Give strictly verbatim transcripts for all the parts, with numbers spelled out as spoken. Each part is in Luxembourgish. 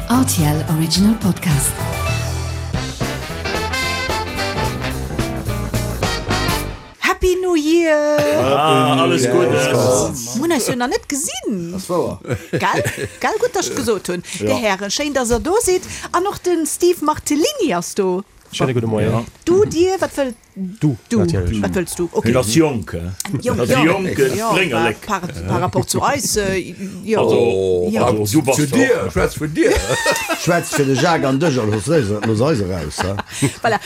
R T L Original Podcast. Happy New Year! Ah, alles Guddes! Mir hunn eis jo nach net gesinn. Ass wouer. Gell? Gell? Gutt, dass ech et gesot hunn. Dir Hären, schéin, dass Der do sidd. An och de Steve Martellini ass do. Schéine gudde Moien. Du, dir, wat wëllt Du, du? Natierlech. Wat wëlls du? Okay. Hien ass jonk, he? Jonk, Ass jo. jonk, Jo, Spréngerlek. par, par rapport zu eis, jo. Also, Jo. also, du bass Zu doch. dir, schwätz vun dir. Schwätz fir de Jacques an dech a looss eis, looss eis eraus, he? Voilà,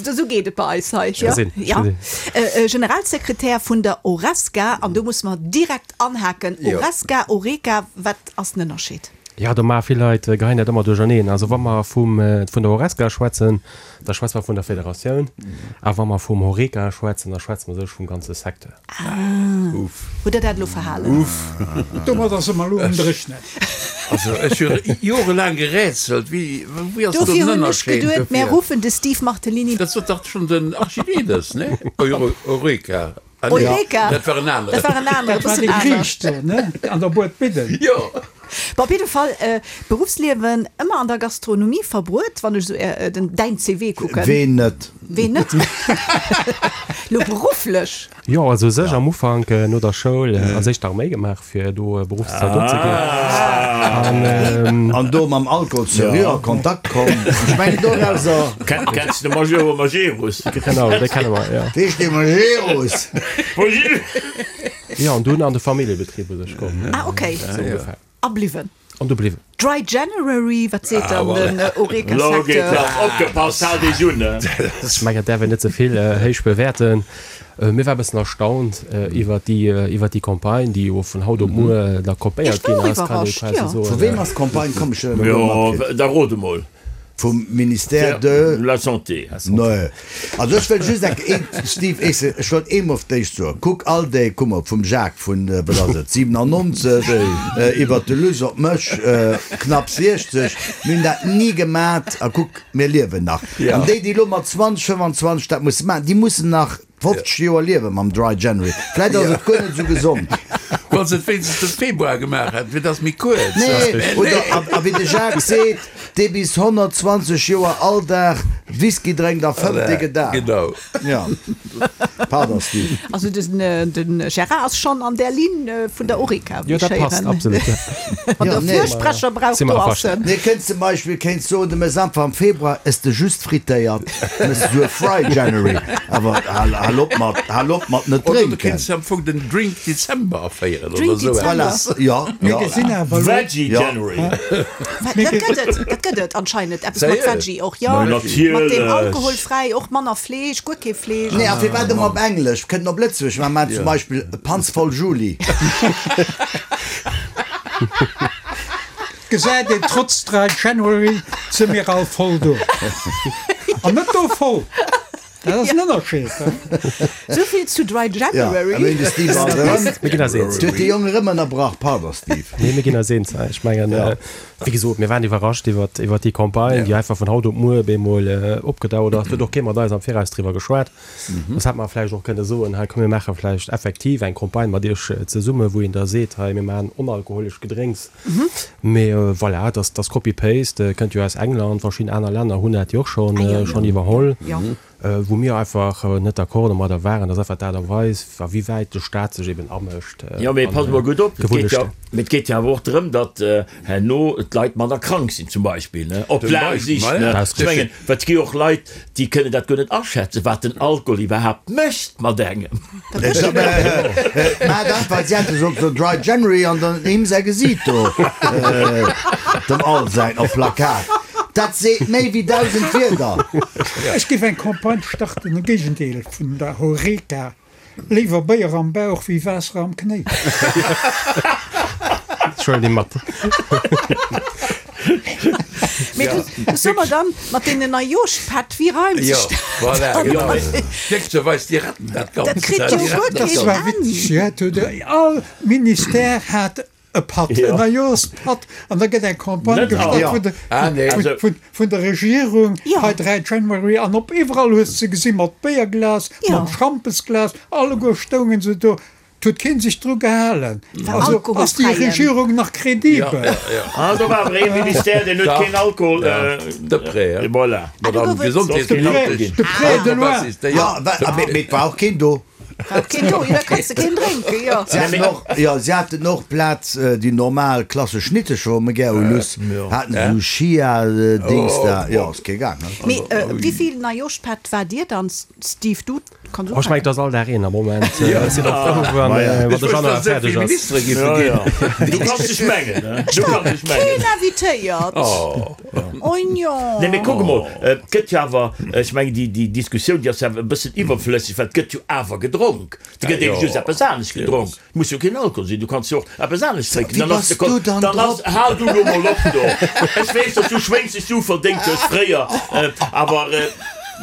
esou geet et bei eis hei. Ech gesinn, ech Ja. gesinn. Äh, äh, Generalsekretär vun der Horesca, an do muss mer direkt anhaken. Jo. Horesca, Horeca, wat ass den Ënnerscheed? Ja, do maache vill Leit, geheien dat ëmmer duercherneen. Also wa mer vum, vun der Horesca schwätzen, da schwätze mer vun der Federatioun. A wa mer vum Horeca schwätzen, da schwätze mer sech vum ganze Secteur. Ah. Uff. Hutt Der dat elo verhalen? Uff. Domadder si mer elo um Dréchnen. Also ech hu jorelaang gerätselt, wéi, wéi ass do Dofir den hunn ech Ënnerscheed geduet, mär dofir? ruffen de Steve Martellini. Dat sot dach schonn den Archimedes, ne? Eureka. Ah, nee, Eureka! dat war en aneren. Dat war en aneren, e Dat war bëssen dee anescht. Griich do, ne? An der Buedbidden. Jo. Bon, op jidde Fall, Beruffsliewen ëmmer an der Gastronomie verbruet, wann ech esou den, däin C V kucken. Ween net? Ween net? Lo berufflech. Jo, also u sech am Ufank no der Schoul als éischt d'Arméi gemaach, fir do Beruffszaldot ze ginn. An. An do mam Alkohol seriö a Kontakt komm. Ech mengen dorauser. Kenns de Major Majerus? Genau, dee kenne mer, jo. Wee ass dee Majerus? Jo, an dunn an de Familljebetrib u sech komm. Ah, okay. Sou ongefähr. A bliwwen. An do bliwwen. Dry January, wat seet dann den Lo geet Horeca-Secteur? lass, opgepasst, haalt iech un! Ech mengen, dat däerf een net ze vill héich bewäerten. Mir war e bëssen erstaunt iwwert déi, iwwert déi Campagne, déi jo vun haut op muer da kopéiert Ech war ginn och ass, kann ee iwwerrascht, quasi jo. soen. Vu weem ass d'Campagne komm? Ech hunn dat elo Jo, matkritt. da rot emol. Vum Ministère de. La Santé. Nee. Also ech wëll just eng, een, Steve, ech, ech wollt eemol op d'éischt soen, kuck all déi, kuck mol, vum Jacques vun, wat ass et, siwenannonzeg, iwwert de Luss op mech, knapp siechzeg, mir hunn dat ni gemat a kuck, mir liewen nach. An déi, déi elo mat zwanzeg, fëffanzwanzeg dat musse maachen, déi mussen nach fofzeg Joer liewe mam Dry January. Vläit ass et guer net esou gesond. Wann se et wéinstens de Februar gemaach hätten, wier dass méi kuerz. Nee, oder a, a wéi de Jacques seet, dee bis honnertzwanzeg Joer all Dag Whisky drénkt a fëmmt, dee gëtt al. Genau. Ja. Pardon, Steve. Also den, den Gérard ass schonn an där Linn vun der Horeca, wéi Jo, ech dat passt héieren. absolut, ja. Wann Ja, der nee. Fürsprecher braucht, Si mer do ass averstanen. en. Nee, kéints zum Beispill kéints soen, de méchs einfach am Februar, ess de just frittéiert, méchs de sou e Fry January. Awer hal, hal op mat, hal op mat net Oder du drénken. kéints am Fong den Drink Dezember aféieren Drink oder sou Dezember. eppes. Voilà, ja, Mir ja. gesinn awer elo. Veggie Ja. January. Wat, dat gëtt et, dat gëtt et anscheinend, eppes mat Sérieux? Veggie och, jo. Ma Mat deem natierlech. alkoholfräi, och manner Fleesch, guer kee Fleesch. Nee, a firwat ëmmer op Englesch? Kënnt op Lëtzebuerg, mä maachen zum Beispill Panz voll Juli. Gesäit een, trotz Dry January si mir all voll do. An net do voll. Dat ass en Ënnerscheed. Souvill zu Dry January. Ja, a de Steve ass erëm. Mir ginn eis eens. Huet de Jong erëm ënnerbrach. Pardon, Steve. Nee, mir ginn eis eens. Ech mengen, wéi gesot, mir waren iwwerrascht iwwert, iwwert déi Campagne, déi einfach vun haut op muer op eemol opgedaucht ass. Et huet och kee mat eis am Viraus driwwer geschwat. Soss hätt mer vläicht och kënne soen, hei komm mir maache vläicht effektiv eng Campagne mat iech zesumme, wou een da seet, hei mir maachen onalkoholesch Gedrénks. Mee voilà, dat ass Copy-Paste, kënnt jo aus England, verschidden aner Länner hunn dat jo och schonn, schonn iwwerholl. Wou mir einfach net d'accord domadder waren, dat ass einfach d'Aart a Weis, a wéi wäit de Staat sech eben amëscht. Jo, mee pass mol gutt op, et geet jo, Gewunnechten. mee et geet jo awer och drëm, datt herno d'Leit manner krank sinn zum Beispill, ne, op Zum laang Beispill, Sicht, ma ne. ja. Ech mengen, well et gi jo och Leit, déi kënnen dat guer net aschätzen, wat den Alkohol iwwerhaapt mécht mat engem. Maacht einfach, si hätte sollt so Dry January an dann him säi Gesiit do, dem Al säin, op Plakat. Dat seet méi wéi dausend Wierder. Ech géif eng Campagne starten, de Géigendeel vun der Horeca, Léiwer Béier am Bauch wéi Waasser am Knéi. Ech huelen déi mat. Mee du, du soe mer dann mat deenen Neijooschpätt, wéi reimt Jo, sech dat? voilà, genau. Glécklecherweis, déi retten dat Dat Ganzt. kritt jo Déi guer retten dat keen Dat war Enn. witzeg, jo. Et huet all Ministère hat e Patt, en Neijooschpatt, an da gëtt eng Campagne Net gestart all. vun de, Ah, nee. vun, Also- vun, vun der Regierung, Jo. hei Dry January, an op iwwerall hues de gesi mat Béierglas, Jo. mam Schampesglas, alleguer stoungen se do. Et huet keen sech dru gehalen. War Also ass déi alkoholfräien. Regierung nach credibel? Ah, do war awer ee Ministère, deen huet keen Alkohol. De Prêt, hein. Voilà. Ah, do Madame gouf et- Gesondheetsministesch. De Prêt de loin. Ja, wa- ah, mee mee et war och keen do. War keen do, jo, da kanns de keen drénken, jo. Si haten och, jo, si haten och Plaz déi normal klassesch Schnittecher, wou mer gär hu Luss, haten se sou Chia-Dings da. Jo, ass kee gaang, ne? Mee wéivill Neijoschpätt waart Dir dann, Steve? Du kanns Oh, ech mengen, ufänken. et ass all Dag een am Moment. Ech sinn och frou, wann Maja. wann de Januar fäerdeg ass. Ministere géife Ja, ginn. ja. Du kanns dech mengen, ne? Du kanns dech mengen. Keen invitéiert. Oh jo. Nee, mee kuck emol, et gëtt jo awer, ech mengen, déi, déi Diskussioun, déi ass jo awer e bëssen iwwerflësseg, well et gëtt jo awer gedronk. Et gëtt eben just eppes anescht gedronk. Et muss jo keen Alkohol sinn, du kanns jo och eppes anescht drénken. Wéi Dann ass bass de Kon, du dann dann ass, drop? hal du lo mol op do. Ech weess, dass du schwéngst du verdéngt hues fréier, awer,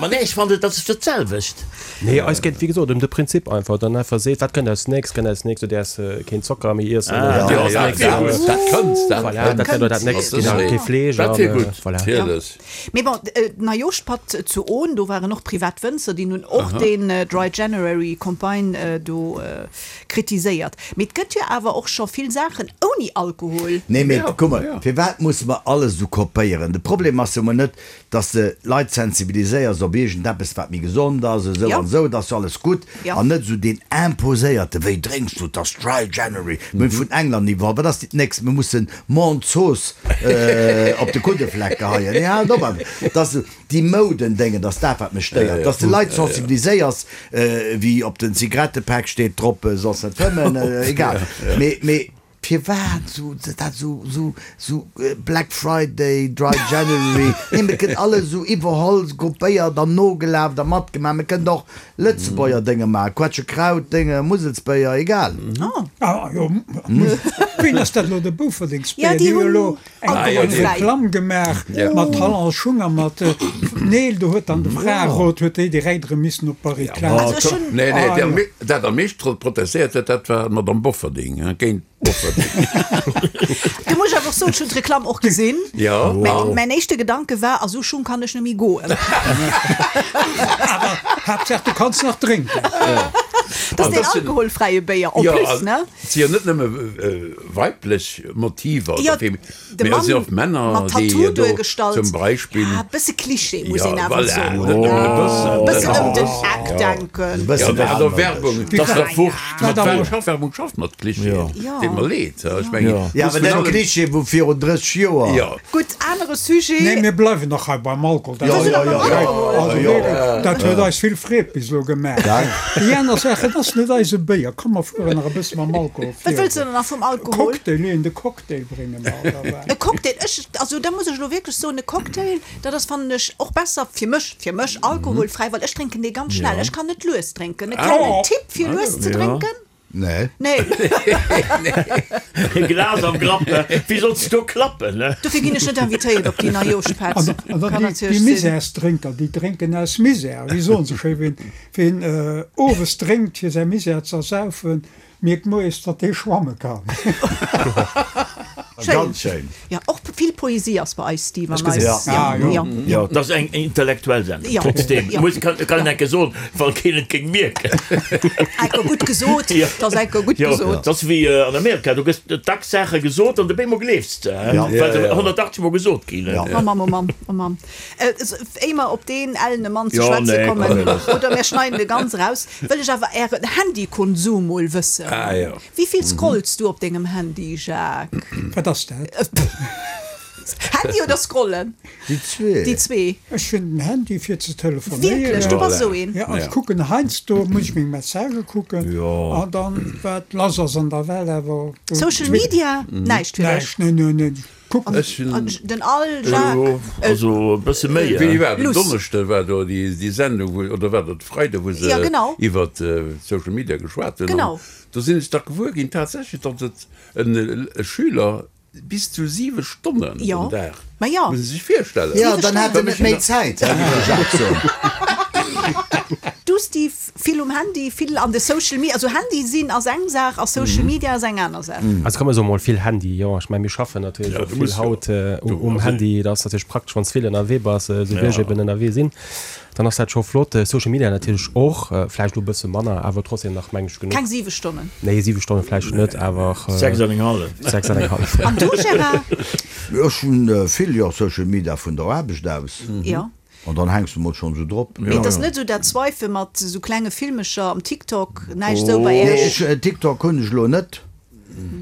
ma nee, ech fannen, dat ass dat selwecht. Nee, eis geet, wéi gesot, ëm de Prinzip einfach, dann einfach seet, wat kënnt als nächst, kënnt als nächst, du däerfs keen Zocker méi iessen, Ah, oder ja, als ja, nächst, ja, äh, Dat kënnt, dat voilà, dat wär do dat nächst, Dat genau, ass kee Fleesch Dat an, wier gutt, voilà. natierlech. Mee bon, Neijoschpatt zu Ohn, do waren och privat Wënzer, déi nun och deen Dry January Campagne do kritiséiert. Mee et gëtt jo awer och scho vill Saachen ouni Alkohol. Nee, mee Ja, kuck mol, ja. firwat musse mer alles esou kopéieren? De Problem ass jo mol net, dass de Leit sensibiliséiers op iergendeppes, wat méi gesond ass, esou Ja. an esou, dat ass jo alles gutt. Ja. An net esou deen imposéierte, wéi drénks du, 't ass Dry January, mir hunn vun England iwwerholl, wat ass dat nächst, mir mussen Mondzooss op de Kuddefleck geheien. Nee, haalt op, dass déi Moudendéngen, dass dat wat mech stéiert, dass de Leit sensibiliséiers, wéi op den Zigarettepak steet drop, soss net fëmmen, egal. Mee, mee firwat sou dat sou sou sou Black Friday, Dry January, nee, mir kënnt alles sou iwwerholl, kopéiert an nogelaf a matgemaach. Mir kënnt och Lëtzebuerger Dénge maachen, Quetschekraut-Dénge, Muselsbéier, egal. Ah, jo, wien ass dat elo, de Boufferdingsbéier? Ja, déi Déi hu hunn elo eng alkoholfräi. Reklamm gemaach mat Talon Schung a mat Neel, do huet dann de Fraerot huet déi direkt erëm missen op d'Barrikaden. Also ech hunn. Nee, nee, Ah, déi am jo. me-, dat am meescht protestéiert huet, dat war d'Madame Bofferding, hein, géint Bofferding. Du muss ech awer och soen, ech hunn d'Reklamm och gesinn. Ja. Mäin, mäin éischte Gedanke war, a sou Schung kann ech net méi goen. Awer Haaptsaach du kanns nach drénken. Dat ass An deen dat sinn- alkoholfräie Béier en Ja, plus, an ne? et si jo net nëmme weiblech Motiver Ja, oder femi-, de mee et si Mann och Männer, mat déi Tattoo do duergestallt. zum Beispill. Ja, bësse Klischee muss Ja, een awer voilà, soen. net nëmmen e bëssen. E bëssen ëm den Ja. Eck denken. E bëssen Ja, almoudesch. Werbung, Dat ass doch wurscht. Mat Wat Werbung am- schafft, Werbung schafft mat Klischeeën. Ja. Deet mer leed, ech mengen, Ja. Ja, muss awer vun net allem- Klischee vu virun drësseg Joer. Ja. Gutt, anere Sujet. Nee, mir bleiwen nach hei beim Alkohol. Dat Ja, ass- ja, ja, ja. Also Ja. wierklech, dat huet eis vill Freed bis elo gemaach. Déi aner Sache, dat ass net eise Béier. Komm, mer fueren nach e bësse mam Alkohol Wat wëlls du virun. denn nach vum Alkohol? Cocktail, nee, de Cocktail brénge mer, oder wat? E Cocktail, ech, also da muss ech elo wierklech soen, e Cocktail, dat ass, fannen ech, och besser fir mech, fir mech alkoholfräi, well ech drénken dee ganz schnell. Ech kann net lues drénken. E klengen Tipp fir lues ze drénken? Nee. Nee. E Glas am Grapp, ne? Wéi solls du do klappen, ne? Dofir ginn ech net invitéiert op déi Neijoschpatt. An dann Kann déi, déi natierlech sinn. Misärsdrénker, déi drénken aus Misär. Wéi soen se schéi, wien, wien äh, owes drénkt, fir säi Misär ze ersaufen, mierkt moies, datt dee schwamme kann. Schéin. Ganz schéin. Ja, och vill Poesie ass bei eis, Steve, an gesinn. eis. Ja. Ah, jo. Ja. Ja, dat ass eng intellektuell Sendung. Ja. Trotzdem. Ja. Muss, kann, kann een enke soen, well keen et géing mierken. Enker gutt gesot. Ja. Dat ass enker gutt Ja, gesot. dat ass wéi an Amerika, do gëss dacks Saache gesot an op eemol gleefs de, hè? Ja. Well se honnertachtzeg Mol gesot ginn, hè? Ja. Oh Mann, oh Mann, oh Mann. Äh, éier mer op deen ellene Mann ze Ja, schwätze nee, kommen, komm, nee, lass. oder mir schneiden de ganz raus, wëll ech awer ären Handykonsum mol wëssen. Ah, ja. Wéi vill scrollst du op dengem Handy, Jacques? Wat ass dat? Handy oder scrollen? Déi zwee. Déi zwee. Ech hunn den Handy fir ze telefonéieren. Wierklech, du bass esou een? Ja, ech Ja. kucken heiansdo, muss ech meng Messagë kucken. Ja. An dann, wat lass ass an der Welt, awer Social Media? Näischt fir dech? Näischt, nee, nee, nee. Kucken. Ech hunn. An den Al, Jacques? Also e bësse méi, Wéini hè? war dat? Luss. Donneschde war do déi, déi Sendung, wou, oder war dat Freide, wou se Ja, genau. iwwer Social Media geschwat hunn. Genau. An do sinn ech dach gewuer ginn tatsächlech, datt et en e Schüler bis zu siwe Stonnen Ja. den Dag. Ma ja. Muss ee sech virstellen. Ja, dann hat en net méi Zäit, hè, wéi de Jacques soen. Du, Steve, Vill um Handy, vill an de Social Media. Also Handy sinn ass eng Saach a Social Media ass eng aner Saach. Also kann man soen, mol vill Handy, jo. Ech mengen, mir schaffen natierlech och vill haut um Handy. Dat ass natierlech praktesch, wann s vill ënnerwee bass, esou wéi ech eben ënnerwee sinn. Dann ass dat scho flott. Social Media natierlech och, vläicht elo e bësse manner, awer trotzdem nach, meng ech, genuch. Keng siwe Stonnen? Nee, siwe Stonne vläicht net, awer. Sechs an eng hallef. Sechs an eng hallef. An du, Gérard? Ech hunn vill, jo, Social Media vun der Aarbecht aus. Jo. An dann hänks de mol schonn esou drop. Mee et ass net esou dat Swipe mat esou klenge Filmecher am TikTok, näischt esou bei Nee, Iech? ech, TikTok hunn ech elo net.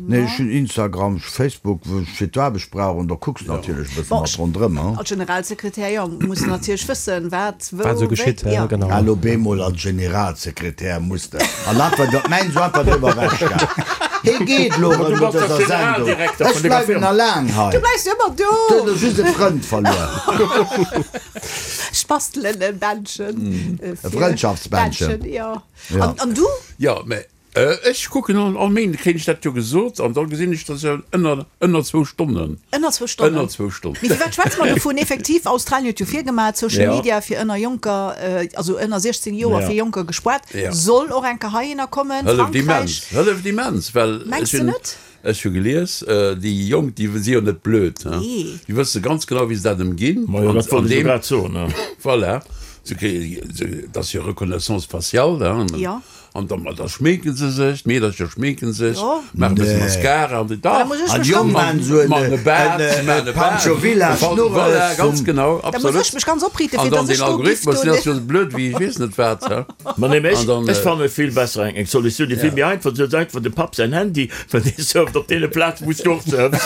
Nee, ech hunn Instagram, Facebook, wou ech fir d'Aarbecht brauch, an da kucks de natierlech e bëssen Bon, mat ronderëm, hein. als Generalsekretär, jo, muss en natierlech wëssen, wat, wou, Wat esou wéi, geschitt, jo. genau. Elo bemol als Generalsekretär muss de, an dat war dat mäin esou einfach driwwer ewechgaang. Hie geet elo Ma erëm du no bass dëser dach Sendung. Generaldirekter Ech vun denger bleiwen Firma. nach laang hei. Du bleifs ëmmer do! Du hues elo just e Frënd verluer. Ech bastelen e Bändchen. E Frëndschaftsbändchen. Bändchen, jo. Ja. An, an du? Jo, mä ech kucken all, all Méinde kréien ech dat jo gesot an da gesinn ech, dass jo ënner, ënner zwou Stonnen. Ënner zwou Stonnen. Ënner zwou Stonnen. Mee firwat schwätze mer dovun? Effektiv, Australien huet jo virgemaach, Social Ja. Media fir ënner Jonker, also ënner siechzéng Joer Ja. fir Jonker gespoart. Ja. Soll och eng Kéier heihinner kommen. Hëlleft immens, Frankräich. hëlleft immens, well Mengs ech de hunn, net? ech hu gelies, déi Jonk, déi si jo net blöd, hein. Nee. Déi wësse ganz genau, wéi se dat ëmginn. Ma jo, An, dat wollt an ech jo deem, grad soen, ne. voilà, se kréien, se, dat ass jo Reconnaissance faciale, hein. Ja. An da, da schminken se sech, d'Meedercher schminken sech, Jo. maachen e bësse Nee. Mascara an déi, Da dach, muss ech An mech déi Jong ganz, maachen esou en, maachen e Baart, en, se maachen e e Baart. Pancho Villa Voilà, Schnurres ganz vum. genau, da muss ech absolut. mech ganz opriite An fir dann dass den ech do giff Algorithmus, do deen ass jo esou blöd wéi ech weess net wat, he. Ma nee, mee An ech, dann, ech fanne vill besser eng, eng Solutioun, déi vill méi einfach ass, einfach dem Papp säin Handy, well dee surft op deene Plazen, wou s du och surfs.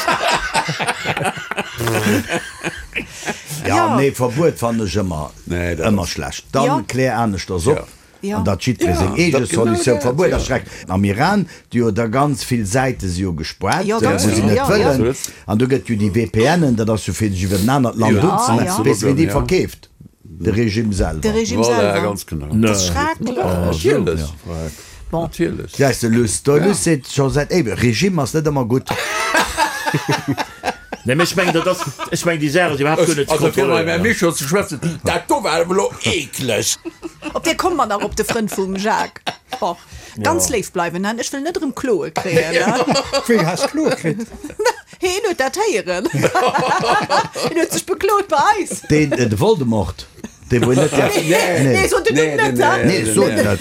Ja, Ja. nee, Verbuet fannen ech ëmmer, Nee, dat ëmmer ass. schlecht. Dann Ja. klär aneschters op. Ja. Ja. An datt jiddweree Ja, seng eege dat genau Solutioun dat, Verbuet ja. ass schreck. Am Iran, déi jo da ganz vill Säite si jo gespoart, Jo, ganz wou si vill, net ja, wëllen. ja. An do gëtt jo déi V P Nen, dat ass jo fir sech iwwer en anert Land Ja, unzemelden. ja. Weess wien déi Ja. verkeeft? De Regime De selwer. Regime Voilà, selwer. ganz genau. Dat ass schrecklech. Natierlech. Bon. Natierlech. Gesäis de, Luss, de Luss seet scho säit éiweg, Regime ass net ëmmer gutt. Nee, mee ech mengen, dat ass, ech mengen, déi Saach ass iwwerhaapt guer net ze Also fir mam Här kontrolléieren. Mischo ze schwätzen, dat do war awer elo eekleg. Op dee komme mer nach, op de Frënd vum Jacques. Bon, ganz léif bleiwen, hein? Ech wëll net erëm Kloe kréien, hein? Wéi has Kloe kritt? Heen huet dat héieren. Heen huet sech beklot bei eis. Deen, de Voldemort, dee wou een net däerf, Nee, nee, sot den Numm net, hein? nee, sot net,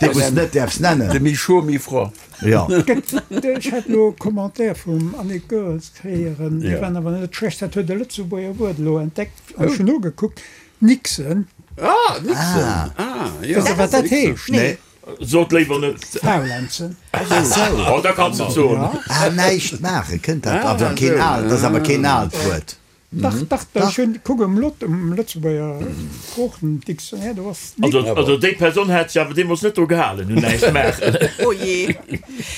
dee wou s net däerfs De nennen. Micho, mi froid. Ja. Ech hat elo e Commentaire vum Annick Goerens héieren, dee Ja. war awer net schlecht, dat huet e Lëtzebuerger Wuert elo entdeckt an ech hunn nogekuckt, Nixen. Ah, Nixen. Ah, ja. Weess Der, wat dat heescht? Nee. Sot léiwer net. Faulenzen. Oh, da kanns de et soen. Ah, näischt maachen, kënnt dat Ah, awer keen esou. aalt, dat ass awer keen aalt Wuert. Dach, dach, ech hunn, kuck um Lot, um Lëtzebuerger Sproochen-Dictionnaire, do ass Also, Nixen. also déi Persoun hätt sech awer deemools net dru gehalen, un näischt maachen. Oh jee.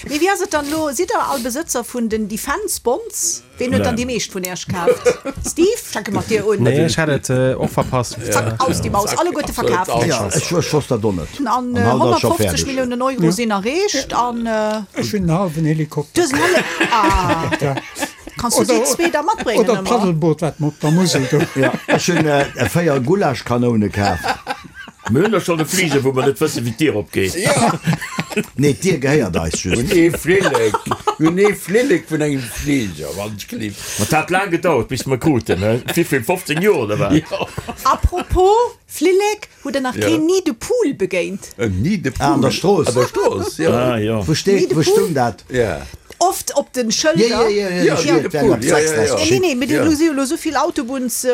Mee wéi ass et dann elo? Sidd der all Besëtzer vun den Defense Bonds? Ween huet dann déi meescht vun Iech kaaft? Steve, fänke mat dir un. Nee, ech hat et och verpasst. Zack, aus déi Maus, alleguerte Absolut, verkaaft. Ja, ech, ech wosst dat och net. An An haut ass scho honnertfofzeg fäerdeg. Milliounen Euro sinn erreecht an. Ech hunn en hallwen Helikopter. Du hues en hallwen. Ah. Ja. Kanns du déi zwee da matbréngen Oder ëmmer? d'Paddelboot, wat mer op der Musel do. Ja, ech hunn véier Gulaschkanoune kaaft. Mir hunn der schonn e Fliger, wou mer net wëssen, wéi d'Dier opgeet. Nee, d'Dier gehéiert eis just. Un ee Flillek, un ee Flillek vun engem Fliger, wann ech gelift. Ma 't hat laang gedauert, bis mer kruten, ne? Wéivill, fofzéng Joer oder wat? Jo. Apropos Flillek, hutt der nach Ja. keen Nid de poule begéint? En Nid de poule. Ah, an der Strooss. An der Strooss, jo. Ah, jo. Wou steet, Nid de wou poule? stung dat? Ja. Oft op den Ja, Schëlder. ja, ja, ja, Ja, ech Nid de huet eng op poule, ja, ja, ja. sechs Nee, nee, mee Ja. do si jo elo souvill Autobunns,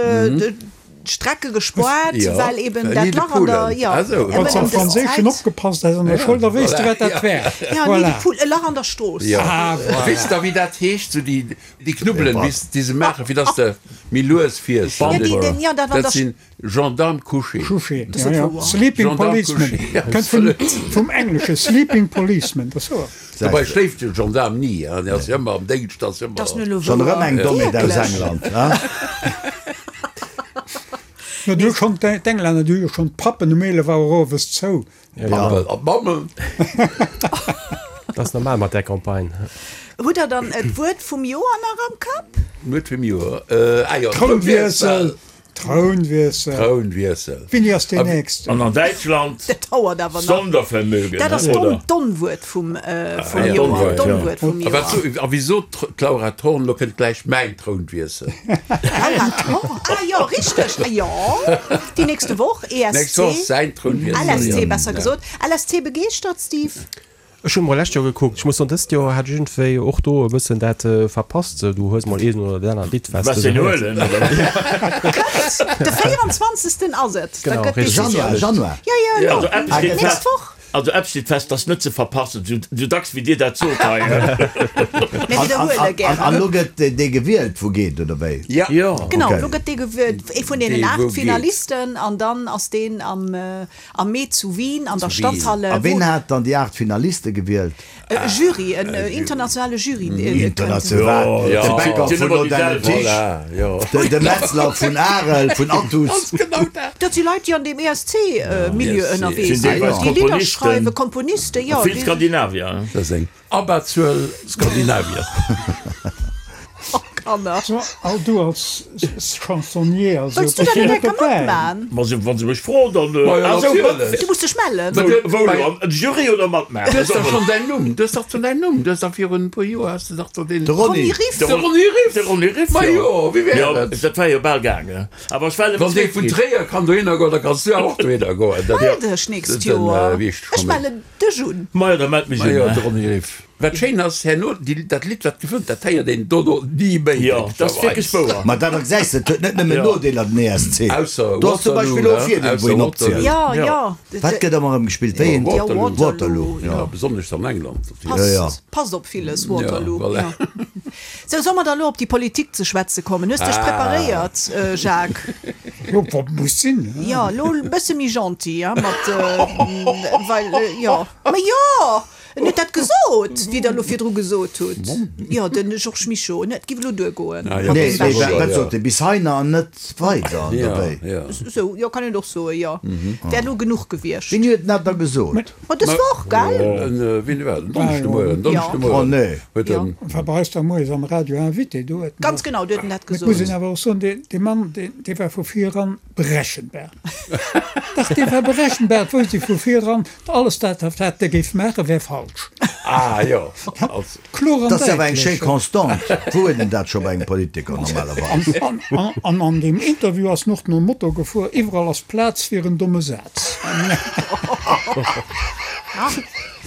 Strecke gespoart, Ja. well eben Nid dat de Lach an der, poule. ja, Ah, sou. eben Wann s ëm am dës Franséischen Zäit. opgepasst häss an der Schoul, da wéisst de, wat dat wär. Ja, Nid de Voilà. poule, e Lach an der Strooss. Ja. Ah, voilà. Weess der, wéi dat heescht, sou déi, déi Knubbelen, Ja. wéi s déi se maachen, fir dass de méi lues fiers? Ja, déi, den, ja, dat an Dat der sinn Gendarme couché. Couché, Das ja, ist ja. wouer. Sleeping Gendarme Policeman. couché, ja, Kënnt vun, vum Englesche Sleeping Policeman, dat ass wouer. Dobei schléift de Gendarme ni, hein, dee ass ëmmer am Déngscht, ass ëmmer. Das nu Schon erëm eng Dommheet aus Wierklech? England, hein? No, du schon d'Englänner, du jo schon d'Pappen um eelef Auer owes zou. Pappen an d'Mammen. Dat ass normal mat där Campagne. Hutt der dann et Wuert vum Joer nach am Kapp? D'Wuert vum Joer? Äh, ah jo, Trounwiessel! Trounwiessel. Trounwiessel. Wéini ass deen nächsten? An an Däitschland Dat dauert awer nach. Sondervermögen, Dat ass oder? d'Onwuert vum Ah, Joer. D'Onwuert vum A wat Joer. so, a wéi sot d'Laura Thorn, lo kënnt gläich mäin Trounwiessel. Laura Thorn? Ah jo, richteg. Ah jo, déi nächste Woch, Nächst Woch E S C, säin Trounwiessel, L S C jo. besser gesot. L S C begeeschtert, Steve? Ech hunn mol lescht Joer gekuckt. Ech muss soen, dëst Joer hat ech iergendwéi och do e bëssen dat verpasst. Du hues mol een oder dat anert Lidd, wat s Was de denn sou héiers. huelen, oder? Kënnt de véierundzwanzegsten ass et. Da Genau, gëtt richtig. Januar, Decisioun. Januar. Jo, jo, elo. Also eppes steet Nächst fest, Woch. also eppes steet fest, dat ass net ze verpassen, sou, sou dacks wéi Dir dat sot hei. Mir An, an, widderhuele an, an gären. lo gëtt dee gewielt, wou geet, oder wéi? Ja. Jo. Genau, Okay. lo gëtt dee gewielt, ee vun deenen Dee aacht wou geet. Finalisten, an dann ass deen am, am Mee zu Wien an der Zu Wien. Stadthalle, A ween wou. hat dann déi aacht Finaliste gewielt? E Jury, en internationale Jury. International, Jo, de Bäcker sinn vun ëmmer déi selwecht. Tisch, Voilà, jo. de, de Metzler vun Arel, vun Athus. Genau dat. Dat si Leit, déi an deem E S C-Milieu E S C. ënnerwee Sinn sinn, deelweis déi Lidder Komponisten. schreiwen, Komponisten, jo. Vill Skandinavier, hein? Dat ass eng Abberzuel Skandinavier. Oh, Kanner. So, all du als Chansonnier, also, Wëlls du bass dat du net net eng Kéier dobäi? matman? Ma se, wann se mech froen, dann. Ma jo, Also, natierlech. Du muss dech mellen. Wat- wou, wou elo? Am Jury oder matmaachen? Du hues dach schonn däin Numm, du hues dach schonn däin Numm, du hues dach virun e puer Joer has de dach do deen. De Ronny. Ronny Riff. De Ronny Riff. De Ronny Riff, Ma jo, wéi wär Jo, et? dat war jo bal gaangen. Awer ech war Wann dee vun Tréier kann dohinner goen, da kanns du awer och dohinner goen. Dat, Mell dech nächst den, Joer. wéi heescht Ech schonn? mellen dech un. Ma jo, da mellt mech Ma jo, un. de Ronny Riff. Wat schéin ass, herno, déi, dat Lidd, wat gewënnt, dat héiert een dono ni méi. Jo, dat ass wierklech wouer. Ma dat gesäis de, et huet net nëmmen Jo. Nodeeler, den E S C. Ausser Do ass zum Waterloo, Beispill och ne? Virdeel, wou Ausser een Waterloo. opzielt. Ja, Ja. ja. Wat gëtt ëmmer erëm gespillt? Wéi een? Ja, Waterloo. Waterloo, Ja, ja. besonnesch an England. Passt, Ja, ja. passt op villes, Waterloo. Ja, voilà. Ja. Sou, soll mer da lo op déi Politik ze schwätze kommen? Hues dech Ah. preparéiert, Jacques? Jo, wat muss sinn, ne? Ja, lo e bësse méi gentil, ja, mat, well, jo. Ma jo! En huet dat gesot, wéi Der elo virdru gesot hutt. Jo, de Georges Mischo. En huet, et giff elo duergoen. Ah, jo. Mat Nee, deem nee, Bäschi. wat, wat sot e? Bis heiner an net weider, oder Ja, wéi? ja. Sou, jo, kann een och soen, jo. Wär elo genuch gewiescht. Wien huet dat da gesot? Ma dës Woch, gell? En, wien war dat? En Donneschdemoien, Donneschdemoien. Oh, nee. Huet en. War bei eis da moies am Radio Invité, do huet en Ganz genau, do huet en dat Et muss een gesot. awer och soen, dee, dee Mann, dee, dee war vu vir eran berechenbar. Dach, dee war berechenbar, et wousst ee vu vir eran, alles dat, wat dee géif maachen, wär falsch. Ah, jo. Also. Kloer an Dat ass awer eng schéi däitlech. Constante. Wou huet een dat scho bei engem Politiker normalerweis? An, an, an an deem Interview ass en och nom Motto gefuer, Iwwerall ass Plaz fir en domme Saz.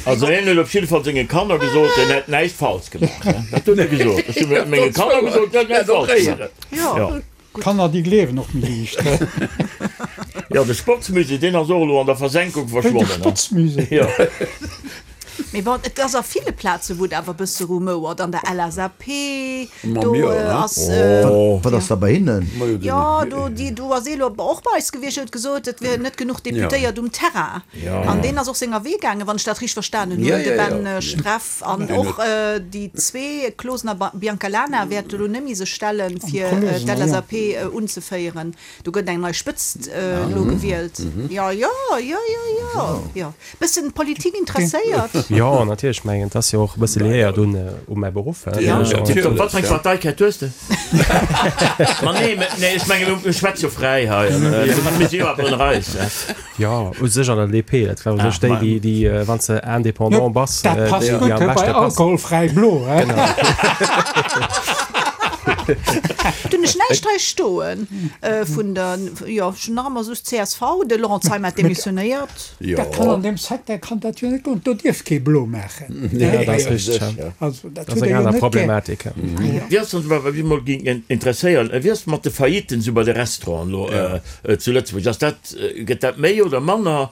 Also hien huet op jidde Fall senge Kanner gesot, en hätt näischt falsch gemaach. Dat huet e gesot. Ech hu menge Kanner gesot, en hätt näischt falsch gemaach. Jo. Jo. Kanner, déi gleewen och méi liicht. Jo, de Sportsmusée, deen ass och elo an der Versenkung De verschwonnen. Sportsmusée. Jo. Mee bon, et ass a ville Plaze wou et awer e bësse rumouert, an der L S A P, Ma do jo, ne? ass, Wat ass da bei hinnen? Ma jo, den- jo, do, déi, do ass ee lo och bei eis gewiescht, huet gesot, et wieren net genuch Deputéiert um Terrain. An deen ass och senger Wee gaangen, wann ech dat richteg verstanen hunn, Ja, de ja, ja. Ben Streff. An Deen och huet- déi zwee, Closen a Biancalana, wäerte lo net méi sech stellen, fir Closen, ja. d'L S A P unzeféieren. Do gëtt eng nei Spëtzt elo gewielt. Jo, jo, jo, jo, jo, jo. Bëssen Politik interesséiert? Jo, natierlech. Ech mengen, et ass jo och e bësse liéiert un u mäi Beruff. Ja, Tiptop. Wat fir eng Parteikaart hues de? Ma nee, nee, ech mengen, mir schwätze jo fräi hei. Mir si jo awer ënner eis. Jo, u sech an der D P, dat war u sech déi, déi, déi, wann s de indépendant bass, Dat passt déi, déi gutt am bei beschte passt. Alkoholfräi Blo, he? Genau. Dunn ech näischt hei stoen vun der, jo, ech hunn nach ëmmer soss C S V, de Laurent Zeimet hat demissionéiert. Jo. Dat kann an deem Secteur kann dat jo net goen, do dierf kee Blo maachen. Ja, dat ass richteg, ja. Also dat Dat ass huet eng e jo aner net gär. Problematik, ja. Wéi ass dann, wat mech mol géing interesséieren, wéi ass mat de Failliten esou bei de Restauranten elo zu Lëtzebuerg? Ass dat, gëtt dat méi oder manner?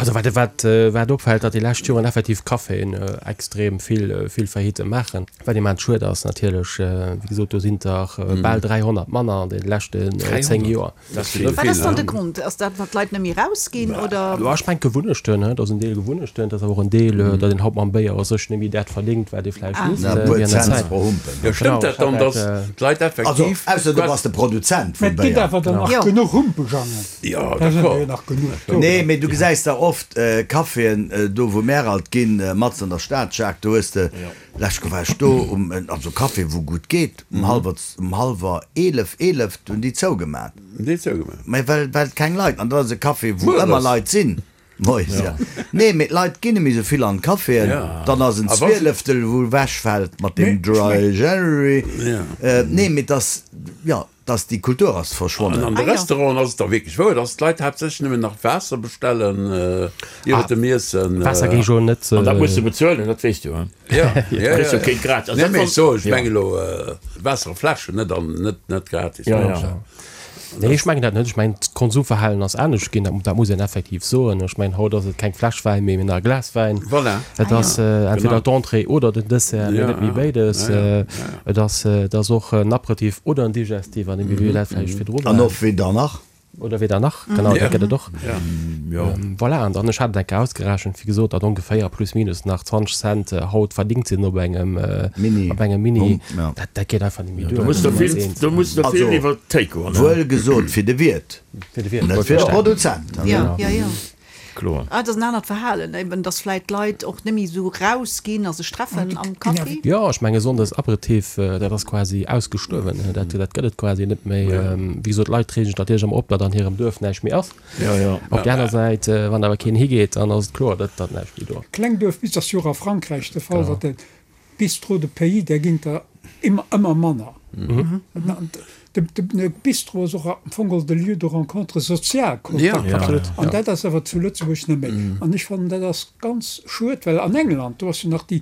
Also wat, wat, wat opfält, datt déi lescht Joren effektiv Caféen extrem vill, vill Faillite maachen. Wat immens schued ass natierlech. Wéi gesot, do sinn der bal dräihonnert manner an de leschten zéng Joer. Dat ass vill. Wat ass dann de Grond? Ass dat, well d'Leit net méi rausginn oder? Jo, ech mengen Gewunnechten, dat ass en Deel Gewunnechten, dat ass awer och en Deel, datt een haut mam Béier a sech net méi dat verdéngt, wat ee vläicht misst E puer wéi an der Cents Zäit. pro Humpen. Jo, stëmmt dat dann, datt d'Leit Also, effektiv. ausser du bass de Produzent Mä vum et ginn Béier. awer dann nach Jo. genuch Humpejangen. Jo, Da sinn der jo d'accord. nach genuch do. Nee, mee du gesäis der och, oft Caféen do wou mär alt ginn, matzen an der Stad, Jacques, do hues de, lescht Woch war ech do, um, also Café wou gutt geet, um hallwer, um hallwer eelef, eelef hunn déi zougemat. Déi zougemat. Mä well, well keng Leit, an dat ass e Café wou ëmmer Leit sinn. Moies, jo. Nee, mee d'Leit ginn net méi sou vill an d'Caféen. Dann ass en Zwieleftel wou ewechfält mat deem Dry January. Nee, mee et ass, jo, et ass, déi Kultur ass verschwonnen. An an de Restauranten ass et da wierklech wouer, dass d'Leit haaptsächlech nëmmen nach Waasser bestellen iwwer dem Iessen. Waasser géing ech elo net. An dat muss de bezuelen, dat weess du, hein? Jo, jo, jo. Kriss jo keent gratis. Nee, mee ech soen, ech mengen elo Waasser a Fläschen, net an, net, net gratis. Jo, jo. Nee, ech mengen dat net. Ech mengen, d'Konsumverhalen ass anescht ginn, dat muss een effektiv soen. Ech mengen, haut ass et keng Fläsch Wäin méi, mee nach e Glas Wäin. Voilà. Et ass entweder d'Entrée oder den Dessert, mee net méi béides. Et ass, et ass och en Aperitif oder en Digestif, an deem wéi mir dat vläicht virdru waren. An och weder nach. Oder weder nach, genau, dat gëtt et och. Voilà, an dann, ech hat et eng Kéier ausgerechent, wéi gesot, datt ongeféier plus minus nach zwanzeg Cent haut verdingt sinn op engem Mini. Op engem Mini. Dat, dat geet einfach net méi duer. Do muss der vill, do muss der vill iwwer d'Théik goen. Wuel gesot fir de Wiert, Fir de Wiert, net fir de Produzent. Jo, jo, jo. Kloer. Ah, et ass en anert Verhalen eben, dass vläit d'Leit och net méi esou rausginn a sech treffen am Café. Jo, ech menge Sonndes Aperitif, dat ass quasi ausgestuerwen. Dat, dat gëtt et quasi net méi. Wéi gesot, d'Leit reegen sech natierlech ëmmer op, datt an hirem Duerf näischt méi ass. Jo, jo. Op där aner Säit, wann awer keen higeet, dann ass et kloer, datt datt näischt méi do ass. Kleng Duerf bis ass jo och a Frankräich de Fall, datt de Bistrot de pays, där ginn der ëmmer, ëmmer manner. De, de, de Bistro ass och am Fong geholl de Lieu de rencontre sozial Kontakt. An dat ass awer zu Lëtzebuerg net méi. An ech fannen, dat ass ganz schued, well an England, do ass jo nach déi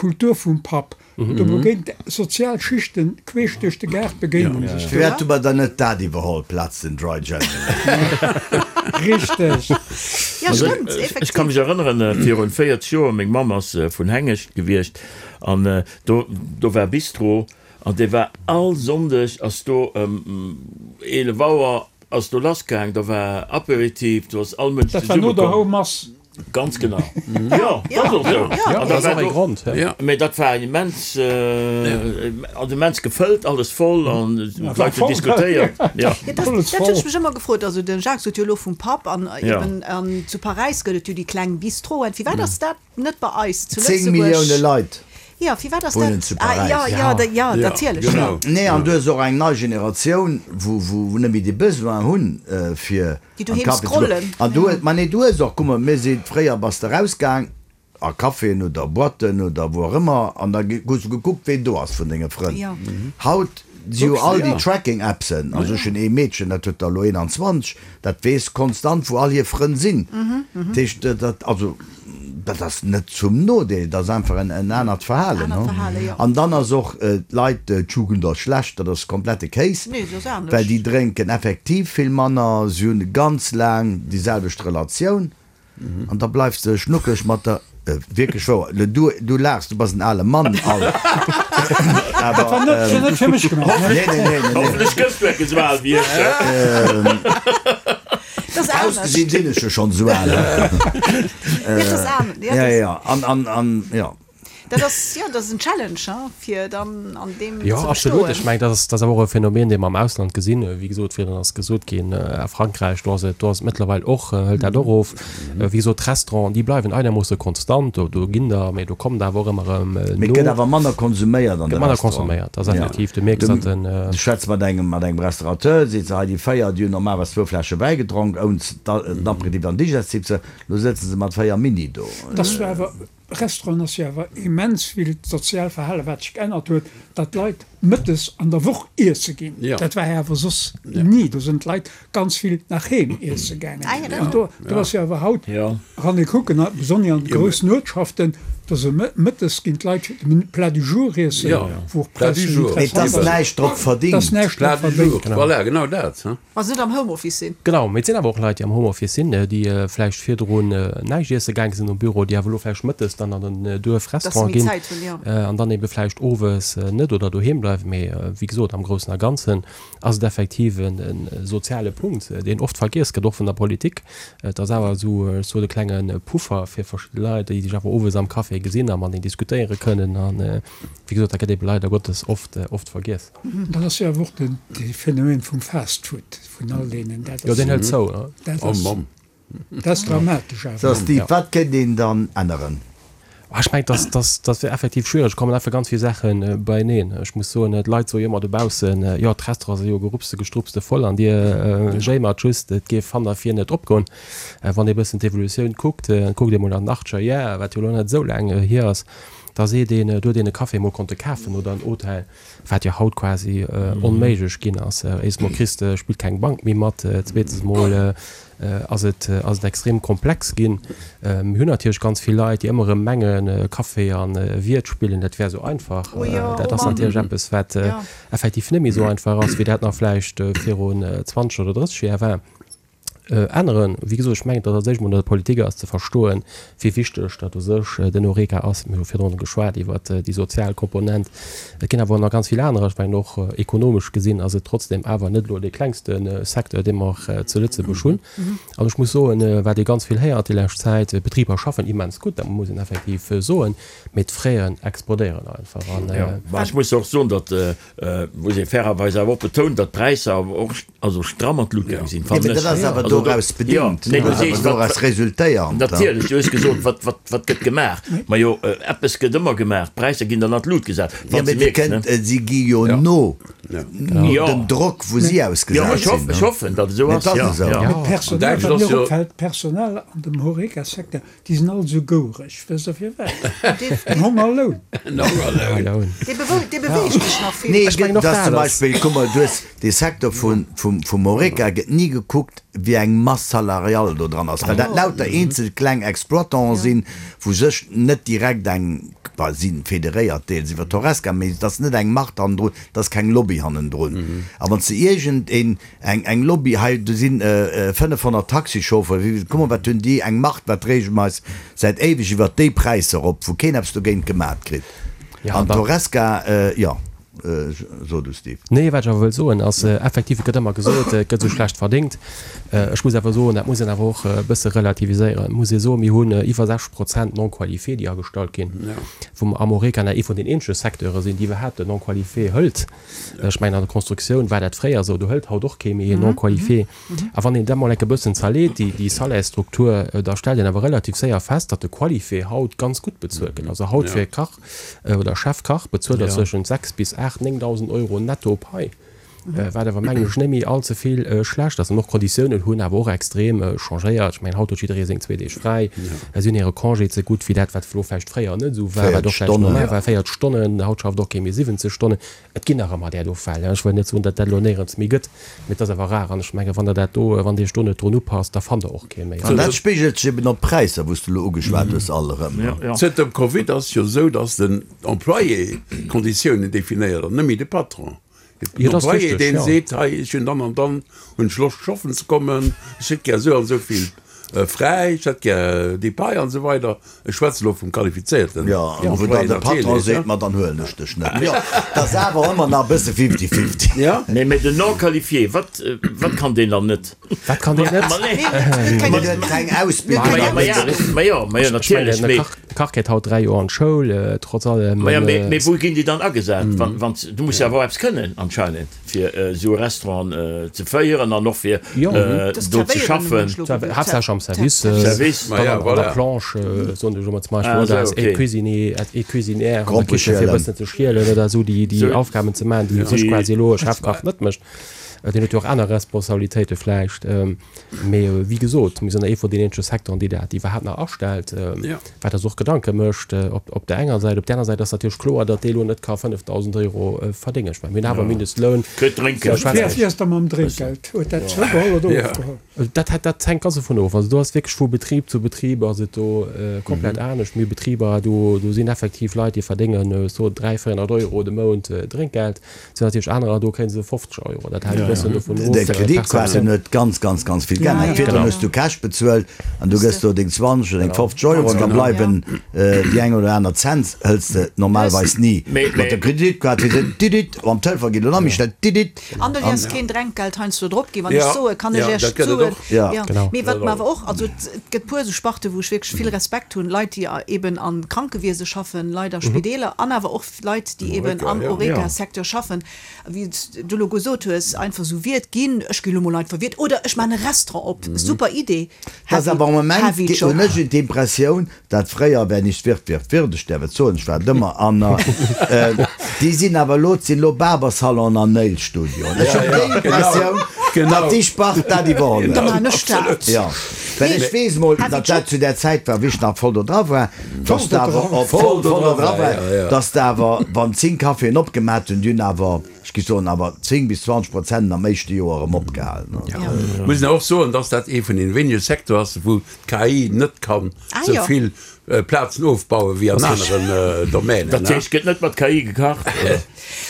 Kultur vum Pub, do begéint sozial Schichten queesch duerch de Gaart begéinen sech do. Firwat hu mer dann net dat iwwerholl plaz den Dry January? Richteg. Jo, stëmmt, Ech ka effektiv. mech erënneren, virun véierzeg Joer, meng Mamm ass vun Hengescht gewiescht an do, do war Bistro an dee war all Sonndeg ass do ëm eelef Auer ass do lassgaang, da war Aperitif, do ass all Mënsch Dat war no der zesummekomm. Houmass. Ganz genau. Jo, dat ass och esou. Ja, An dat dat ass war och e do, Grond, ja. mee dat war immens, also immens gefëllt, alles voll an d'Leit hunn diskutéiert. Ja. Ja, dat, Alles dat hunn voll. ech mech ëmmer gefrot. Also den Jacques sot jo elo vum Pub an Ja. eben an zu Paräis gëtt et jo déi kleng Bistroen. Firwat ass dat net bei eis zu Zéng Millioune Lëtzebuerg? Leit Ja, firwat ass wunnen dat? zu Ah, Paräis. ja, ja, da, ja, natierlech. Genau. Nee, an du hues och eng nei Generatioun, wou, wou net méi de Besoin hunn, fir Déi an doheem Café ze goen. scrollen. An du hues, ma nee, du hues och, kuck mol, mir si fréier bass de erausgaang a Caféen oder Boîten oder wou och ëmmer an da hues du gekuckt, ween do ass vun denge Frënn. Ja. Haut si jo all déi ja. Tracking-Appsen, also ech hunn ee Meedchen, dat huet der elo eenanzwanzeg, dat weess konstant, wou all hir Frënn sinn. Dat heescht, dat, also dat ass net zum Nodeel, dat ass einfach en, en anert Verhalen. Anert Verhalen, jo. An dann ass och d'Leit, d'Jugend ass schlecht, dat ass komplette Kéis, Nee, se ass anescht. well déi drénken effektiv vill manner, si hunn ganz laang déi selwecht Relatioun an da bleifs de schnuckeg mat der, wierklech wouer, du, du laachs, du bass en ale Mann, al, Dat war awer, net, net fir mech gemaach. nee, nee, nee, nee, nee. Hoffentlech gëss du enke sou al wéi ech. Dat ass anescht. Ausgesinn sinn ech jo schonn esou al. Ja, dat ass anescht. Ja, Ja, dat, ja, an, an, an, ja. dat ass, ja, dat ass en Challenge, hein, fir dann an deem Jo, ze absolut. bestoen. Ech mengen, dat ass, dat ass awer och e Phänomen, dee mer am Ausland gesinn. Wéi gesot, virdrun ass gesot ginn, a Frankräich, do ass et, do ass et mëttlerweil och, hëlt dat och of. Wéi gesot, d'Restauranten, déi bleiwen einermoosse konstant. Do, do ginn der, mee do kommen der awer och ëmmer erëm Mee no. et gëtt awer manner konsuméiert an Gëtt de manner Restauranten. konsuméiert, dat ass effektiv. Du mierks, datt den. Du schwätz mat engem, mat engem Restaurateur, seet se, hei déi véier, déi hunn normalerweis zwou Fläsche Wäi gedronk, oun den Aperitif an Digestif ze, lo sëtze se mat véier Mini do. Dass du awer, Restauranten ass jo awer immens vill d'sozial Verhale wat sech geännert huet, datt d'Leit mëttes an der Woch iesse ginn. Ja. Dat war jo awer soss ni. Do sinn d'Leit ganz vill nach heem iesse gaangen. Ah, ja, dat An do, do ass jo awer haut, Ja. wann ee kucken, besonnesch an de groussen Uertschaften, do se mëttes ginn d'Leit de Plat du jour iessen, Ja. wou och Plat du Präisser jour. Mee et ass interessant näischt drop ass. Dass verdingt. näischt drop Plat du jour, verdéngt. voilà, genau dat. Hein? Wa se net am Homeoffice sinn. Genau, mee et sinn awer och Leit, déi am Homeoffice sinn, déi vläicht virdrun näischt iesse gaange sinn um Büro, déi awer elo vläicht mëttes dann an den Dass se Duerfrestaurant méi ginn Zäit hunn, jo. an dann ebe vläicht owes net oder doheem bleiwen. Mee wéi gesot, am Groussen a Ganzen ass et effektiv e soziale Punkt, deen oft vergiess gëtt, och vun der Politik. Et ass awer esou, ech sot, e klenge Puffer fir verschidde Leit, déi sech awer owes am Café gesinn a mateneen diskutéiere kënnen. An wéi gesot, dat gëtt ebe leider Gottes oft, oft vergiess. Dat ass jo awer och den, de Phänomen vum Fast Food, vun all deenen. Dat Jo, ass, deen hëlt zou, ne? dat Oh ass, Mamm. Dat ass dramatesch So, awer. Steve, wat kéint een dann änneren? Ech mengen, dass, dass, dat wier effektiv schwiereg. Et kommen einfach ganz vill Saache beieneen. Ech muss soen, d'Leit soe jo ëmmer dobaussen, jo, d'Restaurante si jo gerupste, gestrupste voll an Dir jéimert just, et géif hanner vir net opgoen. Wann ee bëssen d'Evolutioun kuckt, kuckt ee mol an den achtzeger Jar, wat jo elo net esou laang hier ass, da seet een, do huet een e Café mol konnte kafen oder en Hotel, wat jo haut quasi onméiglech ginn ass. Éischt mol kriss de, spillt keng Bank méi mat, zweetens mol ass et ass et extrem komplex ginn. Mir hunn natierlech ganz vill Leit, déi ëmmer erëm mengen, Café a Wiert spillen, dat wär esou einfach. Oh jo, Dat oh ass Mann. natierlech eppes, wat Ja. effektiv net méi esou einfach ass, wéi dat nach vläicht virun zwanzeg oder drësseg Joer war. Änneren. Wéi gesot, ech mengen, datt als éischt emol un der Politik ass ze verstoen, wéi wichteg datt u sech den Horeca ass. Mir hu virdrun geschwat iwwert déi sozial Komponent. Et ginn awer nach ganz vill anerer. Ech mengen, och ekonomesch gesinn ass et trotzdem awer net elo dee klengste Secteur, dee mer zu Lëtzebuerg hunn. An ech muss soen, wat ee ganz vill héiert déi lescht Zäit, d'Betriber schaffen immens gutt, dat muss een effektiv soen, mee d'Fraisen explodéieren einfach. An. Mä ech muss och soen, datt, muss ee fairerweis awer och betonen, datt d'Präisser awer och also stramm an d'Lut gaang sinn, Jo, fannen mee dat ech. ass awer Also do, doraus jo, bedingt, nee, du dat ass sees, awer wat, doraus wat, resultéiernd. natierlech, du hues gesot, wat, wat, wat gëtt gemaach? Ma jo, eppes gëtt ëmmer gemaach, d'Präisser ginn dann an d'Lut gesat, Jo, wann mee se déi mierken, kënnt, ne? si gi jo no, no Jo. dem Drock, wou si Jo, ausgesat ech hoff, sinn, ech ne? hoffen, datt et esou Mee ass, et ass jo, esou. jo. Mee An d'Personal, Däitschland wat ass mir jo. opfält, d'Personal an dem Horeca-Secteur, déi sinn all esou gouereg. Wësst Der firwat? En Hongerloun. En Hongerloun. Dee bewe, dee beweegt sech nach vill. Nee, Ech mengen och dass dat zum ass. Beispill, kuck mol, du hues dee Secteur vun, vum, vum Horeca gëtt ni gekuckt, wéi eng Masse salariale do dran ass, well dat lauter eenzel kleng Exploitanten sinn, wou sech net direkt eng, bah, si federéiert deels iwwer d'Horesca, mee et ass net eng Macht hannendrun, et ass keng Lobby hannendrun. A wann s de iergend een, eng, eng Lobby, hei do sinn fënnefhonnert Taxichauffeuren, wéi, kuck mol, wat hunn déi eng Macht, wat reege mer eis säit éiweg iwwert déi Präisser op, wou keen eppes dogéint gemat kritt. An d'Horesca, jo. So du, Steve. Nee, wat ech awer wëll soen ass, effektiv, et gëtt ëmmer gesot, et gëtt esou schlecht verdéngt. Ech muss awer soen, dat muss een awer och e bësse relativiséieren. Et muss ee soen, mir hunn iwwer sechzeg Prozent Non-qualifiés, déi agestallt ginn, wou mer am Horeca nach ee vun den eenzege Secteure sinn, déi iwwerhaapt en Non-qualifié hëlt. Ech mengen, an der Constructioun war dat fréier esou, do hëlt haut och kee méi en Non-qualifié. A wann een dat mol enke bëssen zerleet, déi, déi Salaires-Struktur, da stellt een awer relativ séier fest, datt de Qualifié haut ganz gutt bezuelt gëtt. Also haut fir e Kach oder Chefkach bezuelt der zwëschen sechs bis aacht, néngdausend Euro netto Pai, wat awer mengen ech net méi all ze vill schlecht ass. An och d'Konditiounen hunn awer och extrem changéiert. Ech mengen, haut huet jidderee seng zwee Deeg fräi, si hunn hire Congé ze gutt wéi dat, wat elo vläicht fréier net esou war, wat och vläicht normal war, véiert Stonnen, haut schafft och kee méi siwwenzeg Stonnen. Et ginn nach ëmmer där do Fäll, ech wëll net soen, datt dat elo néierens méi gëtt, mee et ass awer rar. An ech mengen, wann Der dat do, wann Dir Iech do net drun upasst, da fannt Der och kee méi. An dat spigelt sech eben op d'Präisser, wou s de elo ugeschwat hues, all erëm. Zënter dem Covid ass jo esou, datt den Employé d'Konditiounen definéiert an net méi de Patron. Den Employé, deen seet, hei, ech hunn dann an dann hunn ech Loscht schaffen ze kommen, ech hätt gär esou an esou vill fräi, ech hätt gär déi Pai an esou weider. Ech schwätze elo vum qualifizéierten Jo, an wou dann de Patron seet, ma dann huelen ech dech net. Jo, dat ass awer ëmmer nach e bësse fifty-fifty. Jo. Nee, mee den Non-qualifié, wat, wat kann deen dann net? Wat kann deen net? Ma nee. Deen huet keng Ausbildung. Ma jo, ma jo, ma jo, natierlech, mee. De Kach geet haut dräi Joer an d'Schoul, trotz allem. Ma jo, mee, mee wou ginn déi dann agesat? Wann, wann, du muss jo awer och eppes kënnen anscheinend, fir esou e Restaurant ze féieren an och fir do ze schaffen. Haaptsächlech am Service, dann an der Planche, soen ech elo mol zum Beispill, oder als Aide-cuisinier, Aide-cuisinière an der Kichen, fir e bëssen ze schielen oder esou déi, déi Aufgaben ze maachen, déi u sech quasi elo e Chefkach net mécht. Deen huet jo och aner Responsabilitéite vläicht. Mee wéi gesot, mir sinn ee vun den eenzege Secteuren, déi dat iwwerhaapt nach astellt, wat eis och Gedanke mécht op där enger Säit. Op där aner Säit ass natierlech kloer, datt dee elo net ka fënnefdausend Euro verdéngen. Ech mengen, mir hunn awer e Mindestloun. Kritt Drénkgeld. Wéi ass da mam Drénkgeld? Huet dat zougeholl oder ofgeholl? Dat dat hänkt ganz dovun of. Also do ass wierklech vu Betrib zu Betrib ass et do komplett anescht. Mir hu Betriber, do do sinn effektiv Leit, déi verdéngen so dräi, véierhonnert Euro de Mount Drénkgeld. Et sinn natierlech anerer, do kréie se fofzeg Euro. Dat hänkt e bëssen dovun of. De Kreditkaarten huet ganz, ganz, ganz vill geännert. Virdrun hues du Cash bezuelt an du gëss do deng zwanzeg oder deng fofzeg Euro an da bleiwen déi eng oder aner Cent hëls de normalerweis ni. Mat der Kreditkaart seet se didit, am Telefon geet elo nach méi schnell didit. An do däerfs keen Drenkgeld heiansdo drop ginn, wann ech soe kann ech Iech soen. Ja. Mee wat mer awer och, also et gëtt puer esou Sparte wou ech wierklech vill Respekt hunn, Leit déi eben am Krankewiese schaffen, Leit a Spideeler an awer och Leit déi eben am Horeca-Secteur schaffen, wéi s du elo gesot hues, einfach einfach esou Wiert ginn, ech gi lo mol einfach Wiert oder ech maachen e Restaurant op, super Idee, Dat ass heavy, awer am Moment, heavy hunn Job. ech d'Impressioun, dat fréier, wer nicht wird, wird wird, ech däerf et soen, ech war et ëmmer, an déi sinn awer elo, et sinn elo Barbersalon an Nailstudioen. Ech hunn déi Impressioun, datt déi Spart dat iwwerholl Da huet. maachen ech dat. Jo, well ech weess mol, Heavy datt dat Job. zu där Zäit war, wéi ech nach voll do dra war, datt de awer op voll voll do dra war, datt de awer, wann zéng Caféen opgemat hunn, déi hunn awer, ech géif soen, awer zéng bis zwanzeg Prozent am éischte Joer erëm opgehalen. Muss een och soen, dass dat ee vun den wéinege Secteur ass, wou d'K I net kann Ah, sou jo. vill Plazen ofbauen wéi an aneren Domänen. Dat heescht, gëtt net mat K I gekacht, oder?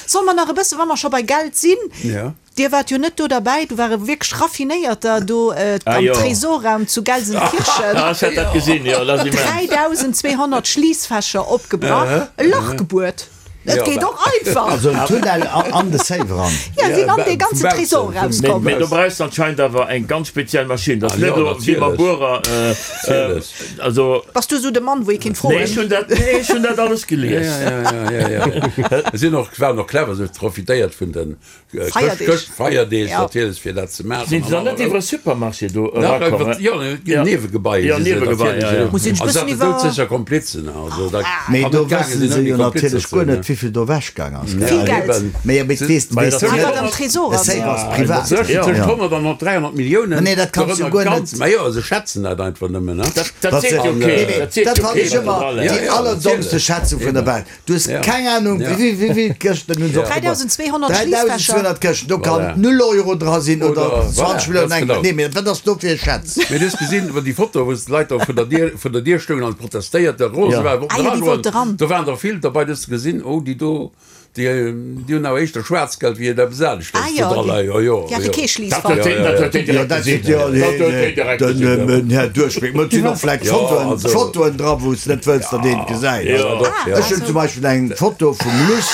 Solle mer nach e bësse, wa mer scho bei Geld sinn, Ja. Dir waart jo net do derbäi, do ware wierklech Raffinéierter do Ah, am jo. Tresorraum zu Gelsenkirchen. Ah, ech hat dat gesinn, jo, dat ass immens. dräidausend zweehonnert Schliissfächer opgebrach, e Lach gebuert. Et Ja, geet bah. och einfach. Also en Tunnel an de Safe eran. Ja, sinn an dee Vum ganze Bautzen, Tresor vum- Mee, rauskomm. mee do brauchst du anscheinend awer eng ganz speziell Maschinn. Dat ass Ah, net jo, elo wéi mam natierlech. Buerer, äh, äh, Natierlech. also. Bass du esou de Mann, wou ee kinnt Nee, ech froen? hunn dat, nee, ech hunn dat alles gelies. Ja, ja, ja, ja, ja, ja. Sinn och, waren och clever, se profitéiert vun den äh, Feierdeeg. Chrëscht, Feierdeeg Ja. natierlech fir dat ze maachen. Sinn se dann net iwwer e Supermarché do Nach erakomm? iwwer, ja, Ja. Niewegebai Ja, si se Niewegebai, natierlech. ja, ja. Muss een Also bëssen dat iwwer- doudsécher Komplizen, also da Mee kann do net gaange wëssen sinn se ouni jo Komplizen natierlech ze guer sinn, net, ne? wéivill do ewechgaang ass, gell? Vill Geld. Eben. Mee ja, mee weess, Mä weess dat du Ah, net, wat am Tresor e ass, Safe ja. ass privat. Tëscht Ja. tëscht honnert an dräihonnert Milliounen. Nee, dat kanns du Dorënner guer net. ganz, ma jo, se schätzen dat einfach nëmmen, ne? Dat, dat Dat seet jo se- keen. Nee, nee, Dat seet dat jo fannen keen, ech wat ëmmer dra déi läit. Ja, ja, allerdommste natierlech. Schätzung vun der Welt. Du hues Ja. keng Ahnung, Ja. wéi wéi vill Këschten hunn se opgebaut. dräidausend zweehonnert Schliessfächer. dräidausend zweehonnert Këschten, do kann Voilà. null Euro dra sinn oder Oder, voilà, zwanzeg Milliounen ganz eng. genau. Nee, mee wat ass do fir e Schätz? Mee du hues gesinn, iwwer déi Foto, wou d'Leit do vun der Dier, vun der Dier stoungen an protestéiert, der Rose Ja. war, wollten Ah ja, déi eragoen. wollte ran. Do waren der vill dabei, du hues gesinn, oh, déi do, déi, déi hunn awer éischter Schwaarzgeld wéi eppes anescht Ah jo, do dra déi, leien. Jo, jo, déi hate jo. kee Dat Schliissfach. huet deen, dat huet deen Jo, direkt dat gesinn. seet jo, Dat nee, huet deen nee, direkt den, gesinn. den Här Duerchbléck. Mä et sinn och vläicht Ja, Fotoen, also. Fotoen dra, wou s net wëlls, datt een et gesäit. Ja. Ja, doch, ja. Ech hunn zum Beispill eng Foto vum Luss,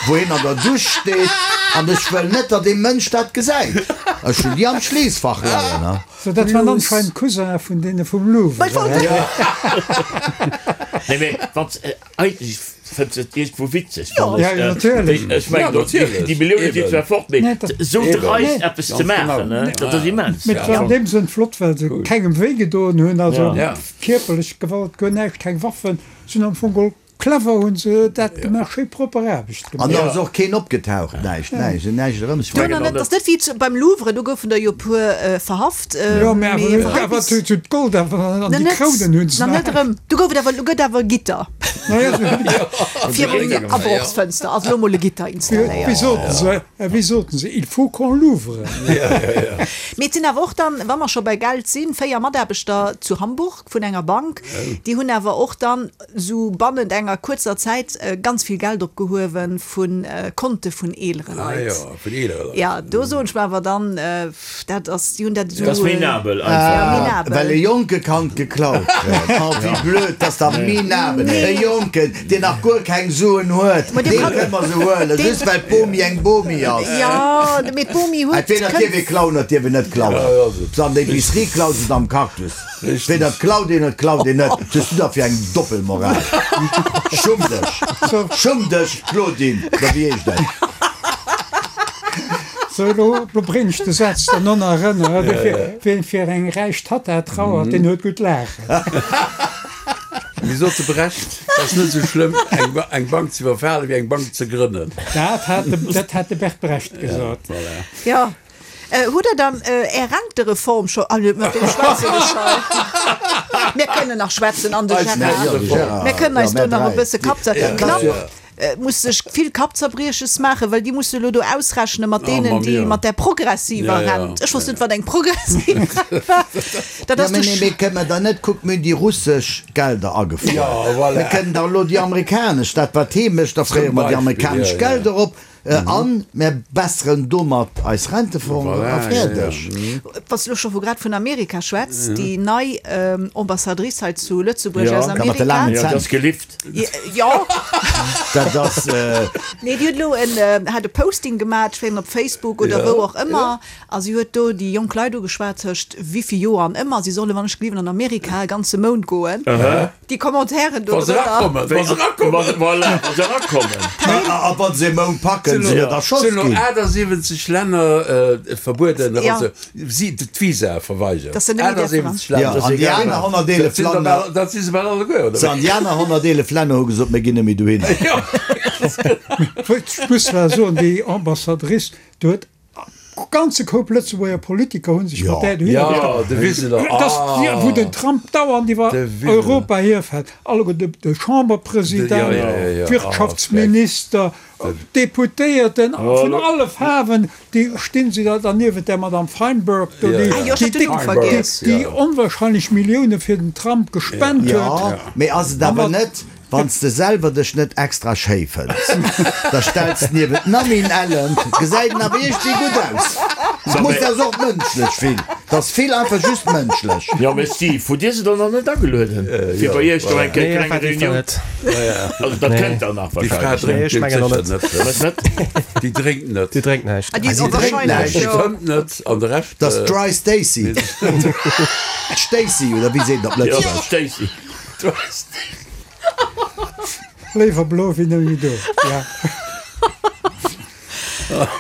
wou een an der Dusch steet, an ech wëll net, datt ee Mënsch dat gesäit. Ech hunn déi am Schliessfach leien, ne? So, dat waren anscheinend Cousin vun deene vum Louvre. Mä wollt- Nee, mee wann s, eigentlech fënns et iergendwou witzeg, Jo. wann ech, Ja, äh, natierlech. ech mengen, Ja, do, déi, natierlech. déi Millioune sinn Eben. zwar fort, mee Nee, dat- esou Eben. dreist Nee. eppes ze Ganz maachen, genau. ne, dat ass immens. Mee et war an deem Sënn flott, well se kengem wéi gedoen hunn, also Ja. kierperlech Gewalt, guer näischt, keng Waffen, sinn am Fong geholl clever hunn se dat gemaach, schéi propper Aarbecht An gemaach. da ass och keen opgetaucht, näischt, näischt, näischt erëm. Do nach net, ass net wéi zu, beim Louvre, do goufen der jo puer äh, verhaft. Äh, Jo, mä mee awer hei awer bis- zu, zu d'Gold awer an Na déi net, Krounen hunn se na net erëm. Do gouf et awer, gëtt awer Gitter. Na ja, so- Virun Abrochsfënster, also lo mol e Gitter Wéi installéiert. soten se, äh, wéi soten se, il faut qu'on l'ouvre. Mee et sinn awer och dann, wa mer scho bei Geld sinn, véier Mataarbechter zu Hamburg vun enger Bank, déi hunn awer och dann sou bannent enger kuerzer Zäit äh, ganz vill Geld opgehuewen vun äh, Konte vun eelere Ah, Leit. jo, vun eelere Leit. Ja, do soen ech mer awer dann, äh, dat ass, déi hunn dat Dat ass sou, äh, minabel ja, einfach. minabel. Well e Jonke kann geklaut kréien. Oh, wéi blöd, dass da minabel. E Jonken, deen nach guer keng Suen huet, Ma dee dee kann- kënne mer se huelen, dee- just well d'Bomi eng Bomi ass. Ja, mee d'Bomi huet Entweder kënnt- dierf ee klauen oder dierf een net klauen. Se an der Epicerie klaut, se am Cactus. Entweder klaut een oder klaut een net. Was hues du da fir eng Doppelmoral? Schumm dech. Schumm dech, Claudine. Oder wéi heescht dat? So, lo, lo bréng ech de Saz dann och nach erënner, ja, ja. Wien fir eng räich Tatta trauert, deen huet gutt laachen. Wéi sot de Brecht, et ass net sou schlëmm, eng, Ba eng Bank ze iwwerfalen, wéi eng Bank ze grënnen. Dat hat de, dat hat de Bert Brecht gesot. Ja, voilà. Ja. Äh, hutt der dann äh, Är Rentereform scho, ah, mat deem schwätze ech scho. Mir kënnen nach schwätzen an de Eis Gérard. Rentereform. Ja, de Gérard. Mir kënnen eis Ja, do nach e mir dräi. bësse Kapp zer- Ja, Knapp, ja. äh, muss sech vill Kappzerbrieches maachen, well déi muss elo do ausrechne mat Oh, deenen, ma déi mia. mat der progressiver Ja, ja. Rent. Ech wosst net, wat eng progressiv Rent war. Dat Ja, ass mee, de nee, mee kënne mer da net, kuck, mir hunn déi russesch Gelder agefruer. Ja, voilà. Mir kënnen da elo déi amerikanesch, dat wat hee mécht, da fréiere mer déi Beispill, amerikanesch ja, ja. Gelder op, äh, an mir besseren domat eis Rentefongen Voilà, a ja, fäerdeg. ja. Wann s du scho vu grad vun Amerika schwätz, déi nei ähm, Ambassadrice hei zu Lëtzebuerg Ja. aus Ka mat de Amerika. laangen Ja, Zänn. dat ass gelift. Ja. Dat ass, äh, Nee, déi huet elo en, äh, hat e Posting gemaach, ech weess net, op Facebook oder Ja. wou och ëmmer. A si huet do déi jonk Leit ugeschwat tëscht wéi vill Joer an ëmmer, si solle wann ech gelift an Amerika e ganze Mount goen. Déi Commentairen do Wa se drënner. erakommen, wa se erakommen. Voilà, wa se erakommen. A wann se e Mount packen, kënnen se net erschoss Sinn elo ginn. achtundsiwwenzeg Länner verbueden, also si d'Visa verweigert. Dass se net méi däerfen achtundsiwwenzeg Ja, Länner. an déi aner honnerteelef Dat sinn der Länner. bal, dat si se bal alleguer, oder So, wéi? an déi aner honnerteelef Länner hu gesot, mir ginn net méi dohinner. Ech muss zwar soen, déi Ambassadrice, do huet e ganze Koup Lëtzebuerger Politiker hu sech mat där dohinner Ja, gestallt. de Wiseler, Dat ass déi, wou den Trump dauernd iwwer De Wiseler. Europa hierfält. Alleguer de, de Chamberpresident, Ja, ja, ja, ja. d'Wirtschaftsminister, d'Deputéierten vun alle Faarwen, déi stinn si da derniewent der Madame Feinberg do, Ja, déi, ja. Ah jo, ech déi hat den déck, Numm déi, vergiess. déi onwahrscheinlech Millioune fir den Trump gespent Jo, huet. mee ass et awer net, wann s de selwer dech net extra schéi fënns, da stells de niewent d'Namin Ellen, gesäit en awer iergendwéi gutt aus. Et muss ass och mënschlech vill, 't ass vill einfach just mënschlech. Jo, mee Steve, hutt Dir se dann nach net agelueden, fir bei Iech do eng Nee, kleng effektiv Reunioun? net. Also dat kënnt dann nach Déi Fra wahrscheinlech. Nee, drénkt ech mengen och sécher net. net. Was net? Déi drénkt net. Déi drénkt näischt. Ah, déi Si ass drénkt wahrscheinlech, näischt. Déi jo. fëmmt net an de Rescht. Dat ass d'Dry Stacy. D'Stacy, oder wéi seet een op Jo, Lëtzebuergesch? Stacy. Dry Stacy. Léiwer blo wéi nëmme do. Ja.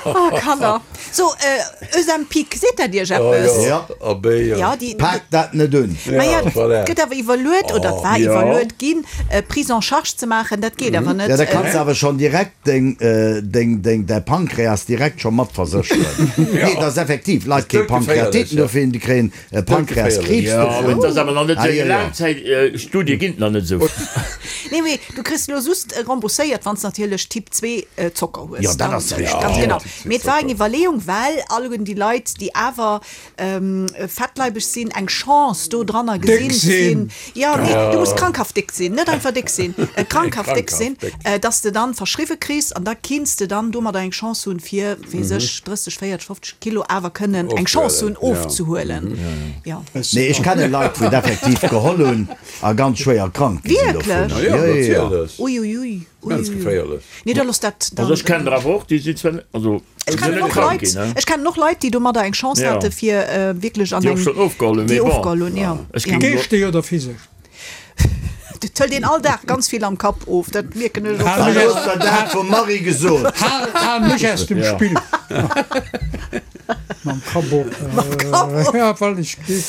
Oh, Kanner. So, äh, Ozempic, seet dat Iech eppes? Ja. Abé, ja. Ja, déi, Pak dat net un. Ma ja, Ja, voilà. et gëtt awer iwwerluet, oder et war ja. iwwerluet ginn, äh, Prise en charge ze maachen, dat geet awer net. Ja, da kanns de awer schonn direkt deng, deng, deng, däi Pankreas direkt scho mat versécheren. Nee, dat ass effektiv, Leit kréie Pankreatiten dofir, déi kréien Pankreaskriibs Ja, mee dovun. et ass awer nach net Ah, esou jo, jo. Laangzäitstudie ginn et nach net esou. Nee, mee du kriss elo just rembourséiert, wann s natierlech Typ zwee Zocker hues. Jo, dat ass richteg. Ganz Ja, genau. Typ zwee Mee et war eng Zocker. Iwwerleeung, well alleguerten déi Leit, déi awer fettleibeg sinn, eng Chance do dranner Déck gesinn sinn. sinn. Jo, nee, du muss krankhaft déck sinn, net einfach déck sinn, krankhaft déck sinn, Krankhaft déck. dass de dann verschriwwe kriss an da kinns de dann domadder eng Chance hunn, fir, weess ech, drësseg, véierteg, fofzeg Kilo awer kënnen eng Chance hunn Ofzehuelen, ja. ofzehuelen. Jo. Nee, ech kenne Leit, wou et effektiv geholl hunn a ganz schwéier krank gi sinn Wierklech? dovunner. Ja, Jo, jo, jo. natierlech. Ui, ui, ui. Ganz Ui, ui, ui. geféierlech. Nee, da looss dat dann. Also ech kennen der awer och, déi sinn zwar net, also Ech déi sinn kennen net och krank Leit, ginn, ne? ech kennen och Leit, déi domadder eng Chance Ja. hate fir wierklech an Déi och eng, schonn ofgeholl hunn, déi mee bon. ofgeholl hunn, ja. Ech Ja. géing elo. Geeschteg oder physesch? Dat hëlt een all Dag ganz vill am Kapp of, dat mierken ech och. Hal Dann mech hues der dat vum Marie gesot. Hal, hal mech aus dem Ja. Spill. Mam Kapp op. Mam Kapp op. Ja, well ech geet.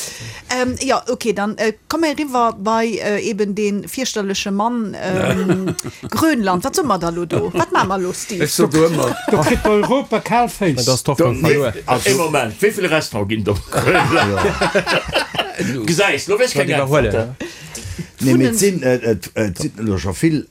Ähm, ja, okay, dann äh, komme mer eriwwer bei äh, eben dee fierchterleche Mann ähm, Grönland. Wat soe mer da lo do? Wat maache mer lo, Steve? Ech so do ëmmer. Do kritt Europa kal Féiss. Dat ass d'Hoffnung verluer. Ee Moment, wéi vill Restaurante ginn et op Grönland? Gesäis, lo weess keng Iwwerhuelen. Äntwert. Nee, mee et sinn, et sinn elo scho vill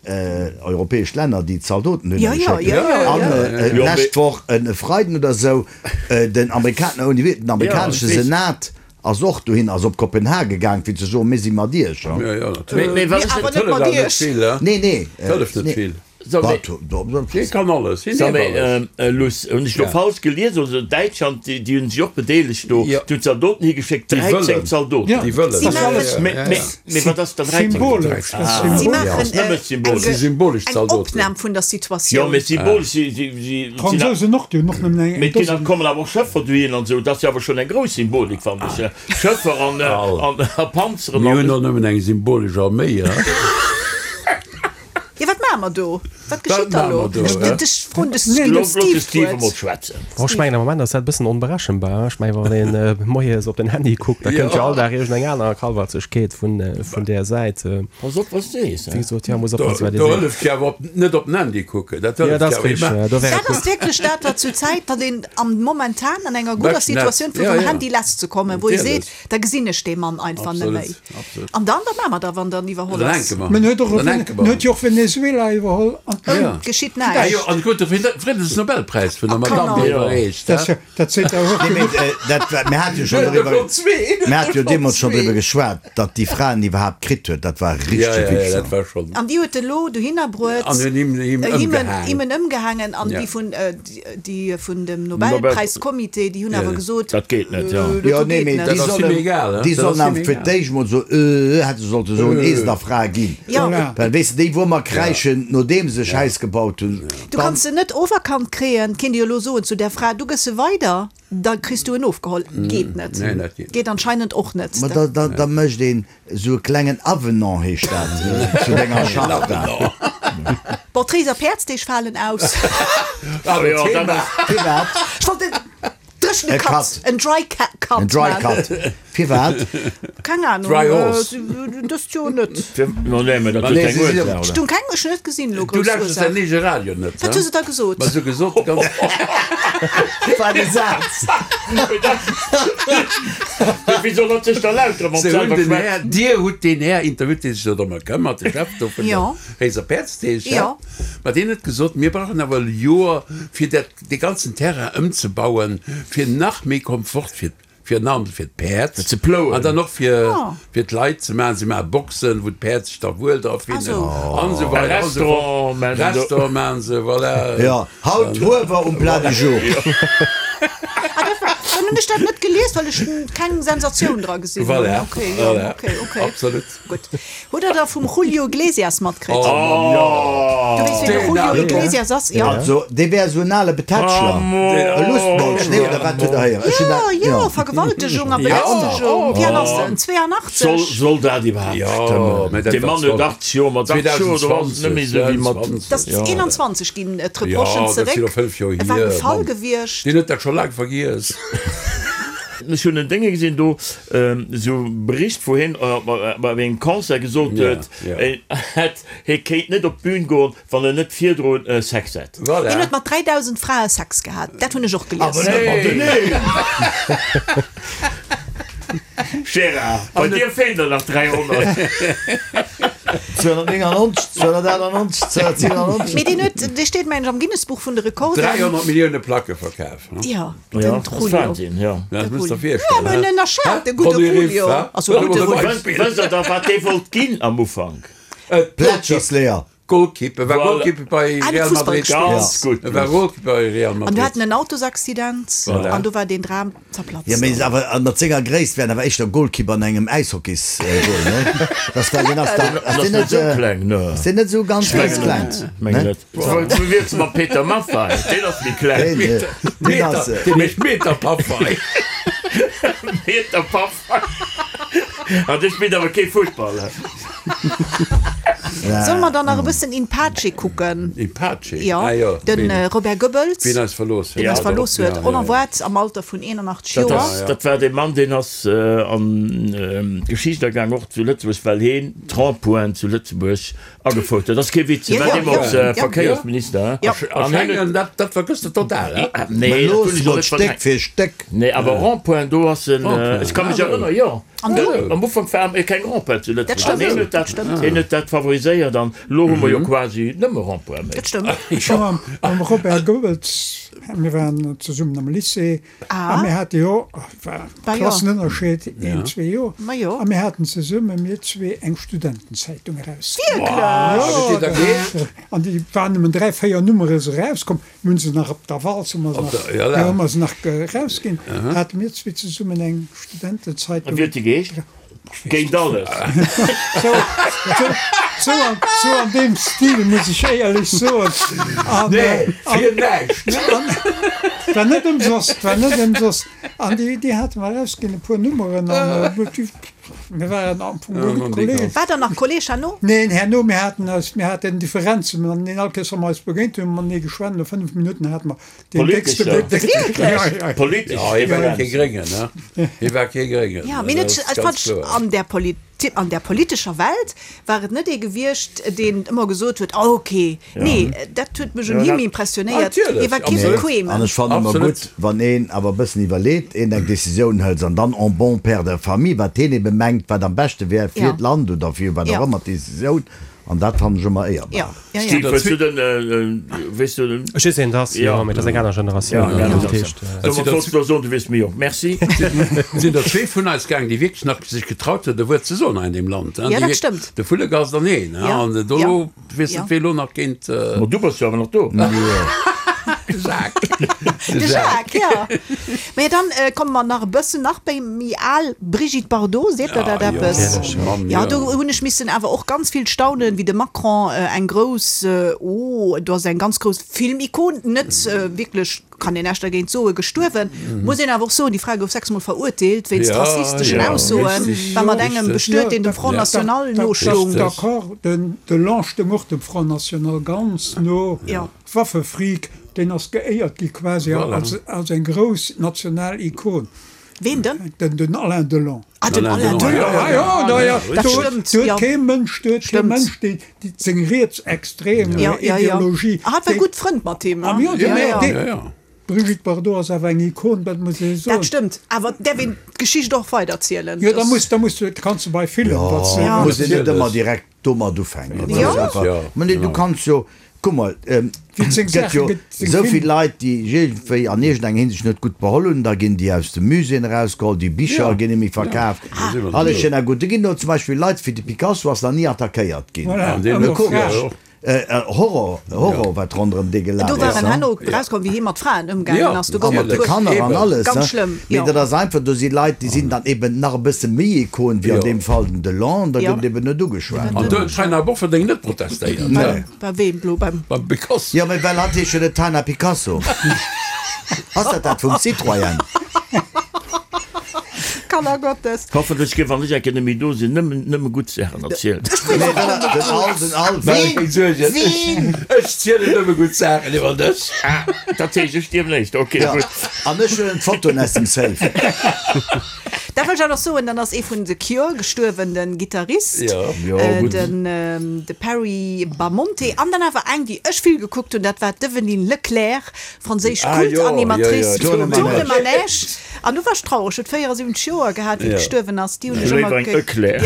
europäesch Länner, déi Zaldoten hunn Ja, ja, geschéckt. ja, ja, An ja. d'lescht Woch, e Freiden oder esou, den Amerika-, den amerikanesche Ja, ich weess. Senat ass och dohin, ass op Kopenhagen gaang, fir ze soen, mir si mat iech. Ja, ja, natierlech. Mee, mee wat Mee ass awer et? net mat Hëlleft awer net iech. vill, he? Nee, nee. Hëlleft net Nee. vill. So, mee, Wat? Do, do, Hie kann alles, hien so, däerf mee, alles. ähm, Luss, hunn ech lo Ja. falsch gelies? Also Däitschland, déi, déi hunn sech och bedeelegt do. Ja. Déi hunn Zaldoten higeschéckt, Déi dräizéng wëllen. Zaldoten. Ja. Déi wëllen. Si maachen- Mee, mee, mee wat ass dann dräizéng? Symbolesch. Das Ah. Si symbolesch. maachen Nëmme äh, symbolesch. eng, Si symbolesch eng Zaldoten. Opnam vun der Jo, Situatioun. mee symbolesch, si, si, si, si, D'Fransousen och, déi hunn och nëmmen eng Mee et ginn Dosen. kommen awer och Schëffer dohin an esou. Dat ass jo awer schonn eng grouss Symbolik, fannen ech. Schëffer an, Al. an, a Panzeren Mir an. hunn och nëmmen eng symbolesch Arméi, he? Jo, wat maache mer do? Wat geschitt da maache lo? mer do, Ech hä? ech froen de Lo Steve looss de Steve d'Wuert. emol schwätzen. Oh, ech mengen am Moment ass dat e bëssen onberechenbar. Ech mengen, wann een äh, moies op den Handy kuckt, da kënnt jo all Dag iergendeng aner Kalwarzegkeet vun, äh, vun där Säit. Äh, Pass op, wat s de sees, wéi hä? gesot, ja, muss Do, oppassen, wat ee do seet. hëlleft jo awer op, net op den Handy kucken. Dat Ja, hëlleft dat jo ass awer richteg, immens. ja, do wär et Dat ass gutt. wierklech dat, wat zur Zäit, wat een am momentan an enger gudder Beschten net. Situatioun fir Ja, vum ja. Handy lass ze kommen, wou ee Natierlech. seet, da gesinn ech dee Mann einfach net Absolut, méi. absolut. An dann, wat maache mer da, wann dann iwwerholl Dann ass? hänke mer. Men huet och Dann hänke en mer. huet jo och Venezuela iwwerholl an Ja. Geschitt Ah näischt. jo, an krut de Friddensnobelpräis vun der Kanner. Madame, déi Ja. iwwerreecht, Dat hä? dat seet awer och Nee, mee, genuch. äh, dat war, mir hate jo schonn Ja, doriwwer, der zwee, mir hate jo der deemools schonn zwee. driwwer geschwat, datt déi Fra en iwwerhaapt kritt huet, dat war Ja, richteg ja, ja, Wichser. dat war schonn. An déi huet elo dohinner bruet, An hunn him, him äh, him en, ëmgehaangen. him en ëmgehaangen an Ja. déi vun, äh, déi vun dem Nobelpräiscomité, déi hunn awer Ja. gesot, Dat geet net, ja. äh, dat Jo, do nee, geet mee net. déi Dat ass him sollen, egal, hä? déi Dat sollen ass awer him fir egal. d'éischt mol so, äh, hätte se sollte soen, Äh. ehe se der Fra ginn. Ja. Voilà. Well, weess de, déi wou mer kräischen, nodeem se Schäiss gebaut hunn, Du dann, kanns se net overkant kréien, kinnt Dir elo soen zu der Fra, du gëss se weider, da kriss du en ofgeholl. Geet net. Nee, dat geet net. Geet anscheinend och net. Ma da, da, da mécht een esou e klengen Avenant, heescht dat, zu denger Charta. Bon, d'Réiser Päerdsdeeg falen aus. Ah jo, dat ass. Firwat? Ech wollt en dréchene E Cut, Cut. en dry cut En dry maachen. cut. Firwat? Keng Ahnung. Dry horse. Dëst Joer net. No nee, mä dat Ma huet nee, keng si sinn Ursaach, Ech oder? hunn keng, ech hunn net gesinn elo Du grouss lauschters Ursaach. däin eege Radio net, Wat hu se da gesot? Ma se hu gesot, ganz. Wat e Saz! Wéi soll dat sech da lauschteren, wann Se hunn selwer den schwätzt? Här, Dir hutt deen Här interviewt, dee sech do drëm këmmert, de Chef do vun Jo. der Réiser Päerdsdeeg, Jo. Ma deen huet gesot, mir brauchen awer e Joer, fir dat, dee ganzen Terrain ëmzebauen, fir nach méi Komfort fir, fir an fir d'Päerd Fir ze plouen. An dann och fir, Ah. fir d'Leit ze maachen. Si maache Boxen, wou d'Päerd sech da wuel dra finnen Ah, so. an esou weider an esou fort. Restaurant maachen se do. Restaurant maachen se, voilà. Ja, haut Huewer um Plat du jour. Ah, dat war, dann hunn ech dat net gelies, well ech keng Sensatioun dra gesinn hunn. Voilà, Okay, ja, voilà. okay, okay. Absolut. Gutt. Hutt Der da vum Julio Iglesias matkritt? Oh, Du weess, wien de Den Julio ale- Iglesias ass? Ja. Also, dee wär esou en ale Betätschler. E Lustmolch, nee, oder wat huet der héieren? Ech hunn Ja, dat, ja, Vergewaltegung a Belästegung. Wéi al ass en? Soll, zwéianachtzeg? soll dat iwwerhaapt Ja, stëmmen? mä dat Dee war Mann huet achtzeg Joer, mat achtzeg Joer, do ass et net méi esou wéi mat. Dat ass eenanzwanzeg ginn d'Reprochen Ja, dat sinn zeréck. jo fënnf Joer Et war hier, e Fall Mann. gewiescht. Deen huet dat scho laang vergiess. Ech hunn en Dénge gesinn do, esou e Bericht, wou hien bei engem Concert gesot Ja, huet, ja. en hätt, hie kéint net op d'Bün goen, wann en net virdrun Sex hätt. Voilà. Hien huet mat dräidausend Frae Sex gehat. Dat hunn ech och gelies. Awer net mateneen! Gérard, bei dir feelen der nach dräihonnert. zweihunnertneunundneunzeg, zweihunnertachtundneunzeg, zweihundertsiebenundneunzeg. Mee deen huet, dee steet, mengen ech, am Guinness-Buch vun de Rekorden. dräihonnert Millioune Placke verkaf. Ja, den Ja, das Julio. Wahnsinn, ja. Dat muss der Ja, virstellen. mä en ënnerschat, de gudde Julio. Also, gudde Julio. Wësst der da, wat dee wollt ginn am Ufank? Plätschersleeër. Goalkeeper, war Voilà. Goalkeeper bei Ah, Real Fussball Madrid. gespielt. Ganz gutt. E war Goalkeeper bei Real An du Madrid. haten en Autosaccident Voilà. an do war den Dram zerplatzt. Ja, mee awer mat senger Gréisst wär en awer éischter Goalkeeper an engem Äishockeys-Goal, ne? Das war den ass da, ass Ass deen net net, sou äh, kleng, ne. ass deen net sou ganz, ganz kleng? Meng Ne? net. Du wiers mat Peter Maffay, deen ass méi kleng. Deen, äh, deen ass, äh, Deen heescht Meter Paffei. Peter Paffei. An dee spillt awer kee Futtball. Solle mer dann nach e bëssen In Pace kucken? In Pace? Ja, Ah, jo. den Ween- Robert Goebbels, Ween eis verlooss huet. deen eis verlooss huet, Ja, ja, ja. onerwaart am Alter vun eenundachtzeg Dat Joer. ass, dat war dee Mann, deen ass an d'Geschicht agaang, och zu Lëtzebuerg, well heen d'Rond-pointen zu Lëtzebuerg agefouert huet. Dat ass kee Witz, hie Ja, war ja, deemools ja, ja. Verkéiersminister. Ja. A An hien huet, Schengen, dat, dat vergëss de total, hè? nee, Mä dat looss hunn ech och mol net Stéck verdrängt. fir Stéck. Nee, awer Rond-point, do ass en, ech ka mech erënneren, jo. An du? Am Ufank war keng Rond-point zu Dat Lëtzebuerg. stëmmt. An hien huet dat, hien huet dat favoriséiert an elo hu mer jo quasi nëmme Rond-point méi. Dat stëmmt. Ech hu mam, mam Robert Goebbels, mir waren zesummen am Lycée, Ah. a mir hate jo, war Bah jo. Klassenënnerscheed, een, zwee Joer, Ma jo. a mir haten zesumme, mir zwee, eng Studentenzeitung erausginn. Wierklech? Jo, Huet Dir dat geheescht? An déi waren nëmmen dräi, véier Nummere se erauskomm, mir hunn se nach op der Walz, hu mer se Op nach, der, ja, ja, hu mer se nach erausginn, hate mir zwee zesummen eng Studentenzeitung. An wéi huet déi geheescht? Géint alles. Sou, sou, sou an, sou an deem Stil, muss ech éierlech soen. An, Nee, an, fir näischt. an, war net ëmsoss, war net ëmsoss. An déi, déi hate mer erausginn, e puer Nummeren, an äh, mir waren am Fong Ja, gutt an déi Kollegen. ganz- War der nach Kolleg herno? Neen, herno, mir haten eis, mir haten Differenzen, an den all Kéiers, wa mer eis begéint hunn, matenee geschwat, no fënnef Minutten hate mer deen déckste Politescher. Déck- Wierklech? Ja, ja. Politesch Ja, hie war Differenzen. kee Gréngen, ne? Hie war kee Gréngen. Ja, mee net, Das ist ech ganz fand, kloer. an der Politi-, an der politescher Welt war et net ee gewiescht, deen ëmmer gesot huet, oh, okay. Nee, dat huet mech un Ja, him dat- impressionéiert. Natierlech, Hie war kee absolut. Bequemen. An ech fannen ëmmer Absolut. gutt, wann een awer e bëssen iwwerleet, een eng Decisioun hëlt an dann en bon père de famille, wat heen ebe mengt, wat am beschte wär fir Ja. d'Land oder fir wat Ja. och ëmmer d'Decisioun. An dat fannen ech ëmmer éierbar. Ja, ja, ja. Steve, hues du den, äh, weess du den? Ech weess wien et ass, jo, mee dat ass eng aner Generatioun. Ja, eng aner Dat heescht, Generatioun. äh, Domat wollts du soen, du wiers méi jonk. Merci. Et sinn der zwee vun eis gaang, déi wierklech nach sech getraut huet, e Wuert ze soen hei in deem Land. Ja, dat stëmmt. De Vullegast an een. Ja. An do Ja. weess Ja. net, wee lo nach géint. Ma du bass jo awer nach do. De Jacques. De Jacques, ja. Mä dann äh, komme mer nach e bëssen nach bei méi al, Brigitte Bardot, seet der dat Ja, jo, eppes? natierlech, Mann, Ja, ja. do hunn ech missen awer och ganz vill staunen, wéi de Macron äh, eng grouss, äh, oh, do ass eng ganz grouss Filmikon, net äh, wierklech kann een näischt dergéint soen, gestuerwen. Muss een awer och soen, déi Fra gouf sechs Mol verurteelt wéinst rassisteschen Aussoen, war mat engem bestuet, deen dem Front National nostoung. D'accord, den Delon stoung och dem Front National ganz no. Waffefreak, deen ass geéiert gi quasi als eng grouss national Ikon. Ween denn? Den Alain Delon. Ah, den Alain Delon, jo, jo, dat stëmmt. Do huet kee Mënsch, do huet kee Mënsch déi seng rietsextrem Ideologie. Ah, hat war gutt Frënd mat him, hein? Jo, jo, jo. D'Brigitte Bardot ass awer eng Ikon, dat muss ee soen. Dat stëmmt, awer däerf een d'Geschicht och weiderzielen? Jo, da muss, da muss du, kanns du bei villen wat. Jo, muss een net ëmmer direkt domat ufänken. Jo. Mä nee, du kanns jo, kuck mol, et gëtt jo esou vill Leit, déi iergendwéi an iergendeng Hinsicht net gutt beholl hunn, da ginn déi aus de Muséeën erausgeholl, déi Bicher ginn net méi verkaaft, alles schéin a gutt. Do ginn elo zum Beispill Leit wéi de Picasso ass nach ni attackéiert ginn. Komesch. Horror, Horror, wat ronderëm dee gelaf Do ass. war en herno erauskomm, wéi hie mat Fraen ëmgaangen ass. Do gouf A mat et de puer. Kanner an alles. Ganz schlëmm, Mee jo. dat ass einfach, do si Leit, déi sinn dann eben nach e bësse méi Ikon wéi an deem Fall den Delon, da Jo. gëtt eben net ugeschwat. An do huet d'Taina Bofferding net protestéiert. Nee. Bei weem elo? Beim. Beim Picasso. Jo, mee well hatt heescht jo net Taina Picasso. Ass dat dat vum Citroën? Kanner Gottes. Hoffentlech ginn, wann ech eng Kéier net méi do sinn, nëmmen, nëmme gutt Saachen erzielt. Nee, well den Al, den Al, Ween? Ween? Ech zielen nëmme gutt Saachen iwwer dech. Ah, dat heescht, ech stierwen éischt. Ok, Ja, gutt. an ech huelen d'Fotoen aus dem Safe. Dat wëll ech awer nach soen, dann ass ee vun The Cure gestuerwen, den Gittarist, Ja. Jo, gutt. den de Perry Bamonte, an dann awer eng, déi ech vill gekuckt hunn, dat war d'Evelyne Leclerc, franséisch Ah, jo, Kultanimatrice jo, jo, vum Tour de Tour de Manège. An du war ech traureg, huet véierasiwwenzeg Joer gehat, wéi gestuerwen ass. Déi hunn ech ëmmer Léiwer eng Eclair.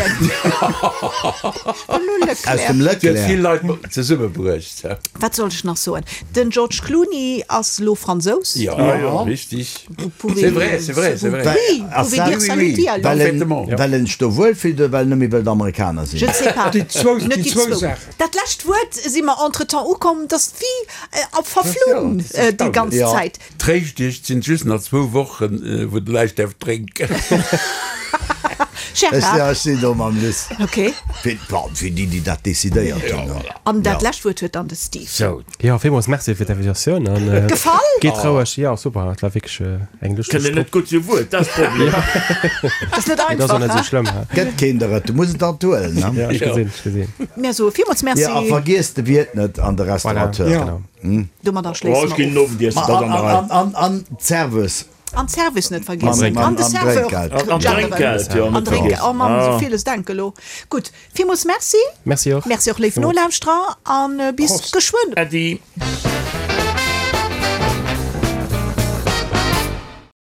Aus dem Déi huet Leclerc. vill Leit zesummebruecht. Wat sollt ech nach soen? Den George Clooney ass lo Fransous. Ja, jo. richtig. Vous pouvez, C'est vrai, c'est vrai, c'est vrai. Oui, vous Ass pouvez dire dat- salut oui, oui. alors. Well en, Parfaitement. well en sech do wuel fillt oder well en net méi wëllt Amerikaner Je sinn? ne sais pas. Déi zwou, Net déi déi zwou zwou. Saachen. Dat lescht Wuert si mer entretemps ukomm, dass wéi op verflunn déi ganz Ja. Zäit. Tréischt dech, et sinn just nach zwou Wochen, wou de näischt däerf drénken. Ech, Gérard. ja, ech sinn do mam Luss. Ok. Fir, bon, fir déi, déi dat decidéiert hunn. Ja, An dat Ja. lescht Wuert huet dann de Steve. Sou. Jo, villmools Merci fir d'Invitatioun an Gefall? geet roueg. Jo, super, et war wierklech eng lëschteg Kënne net Trupp. gutt zu Wuert, dat ass d'Problem. Dat ass net Dat ass och einfach, net esou he? schlëmm, he? Gëtt keen der et, du muss et alt huelen, ne? Ja, ech gesinn, ech gesinn. Mir soe villmools Merci. Ja, a vergiess de Wiert net an de Voilà, Restaurateur. Ja. genau. Domadder Oh, schléisse ech mer ginn of. Owendiessen, Ma dat an, an der an, Rei. an, an, an d'Service. An d'Service net vergiessen. Mam- An de am Serveur. Drénkgeld. An Genderen. Drénkgeld, jo, An net Drénkgeld. vergiessen. Oh Mann, esou Ah. villes denke lo. Gutt, villmools Merci. Merci och. Merci och, léif Villmools. Nolauschterer, an bis Prost. geschwënn. Äddi.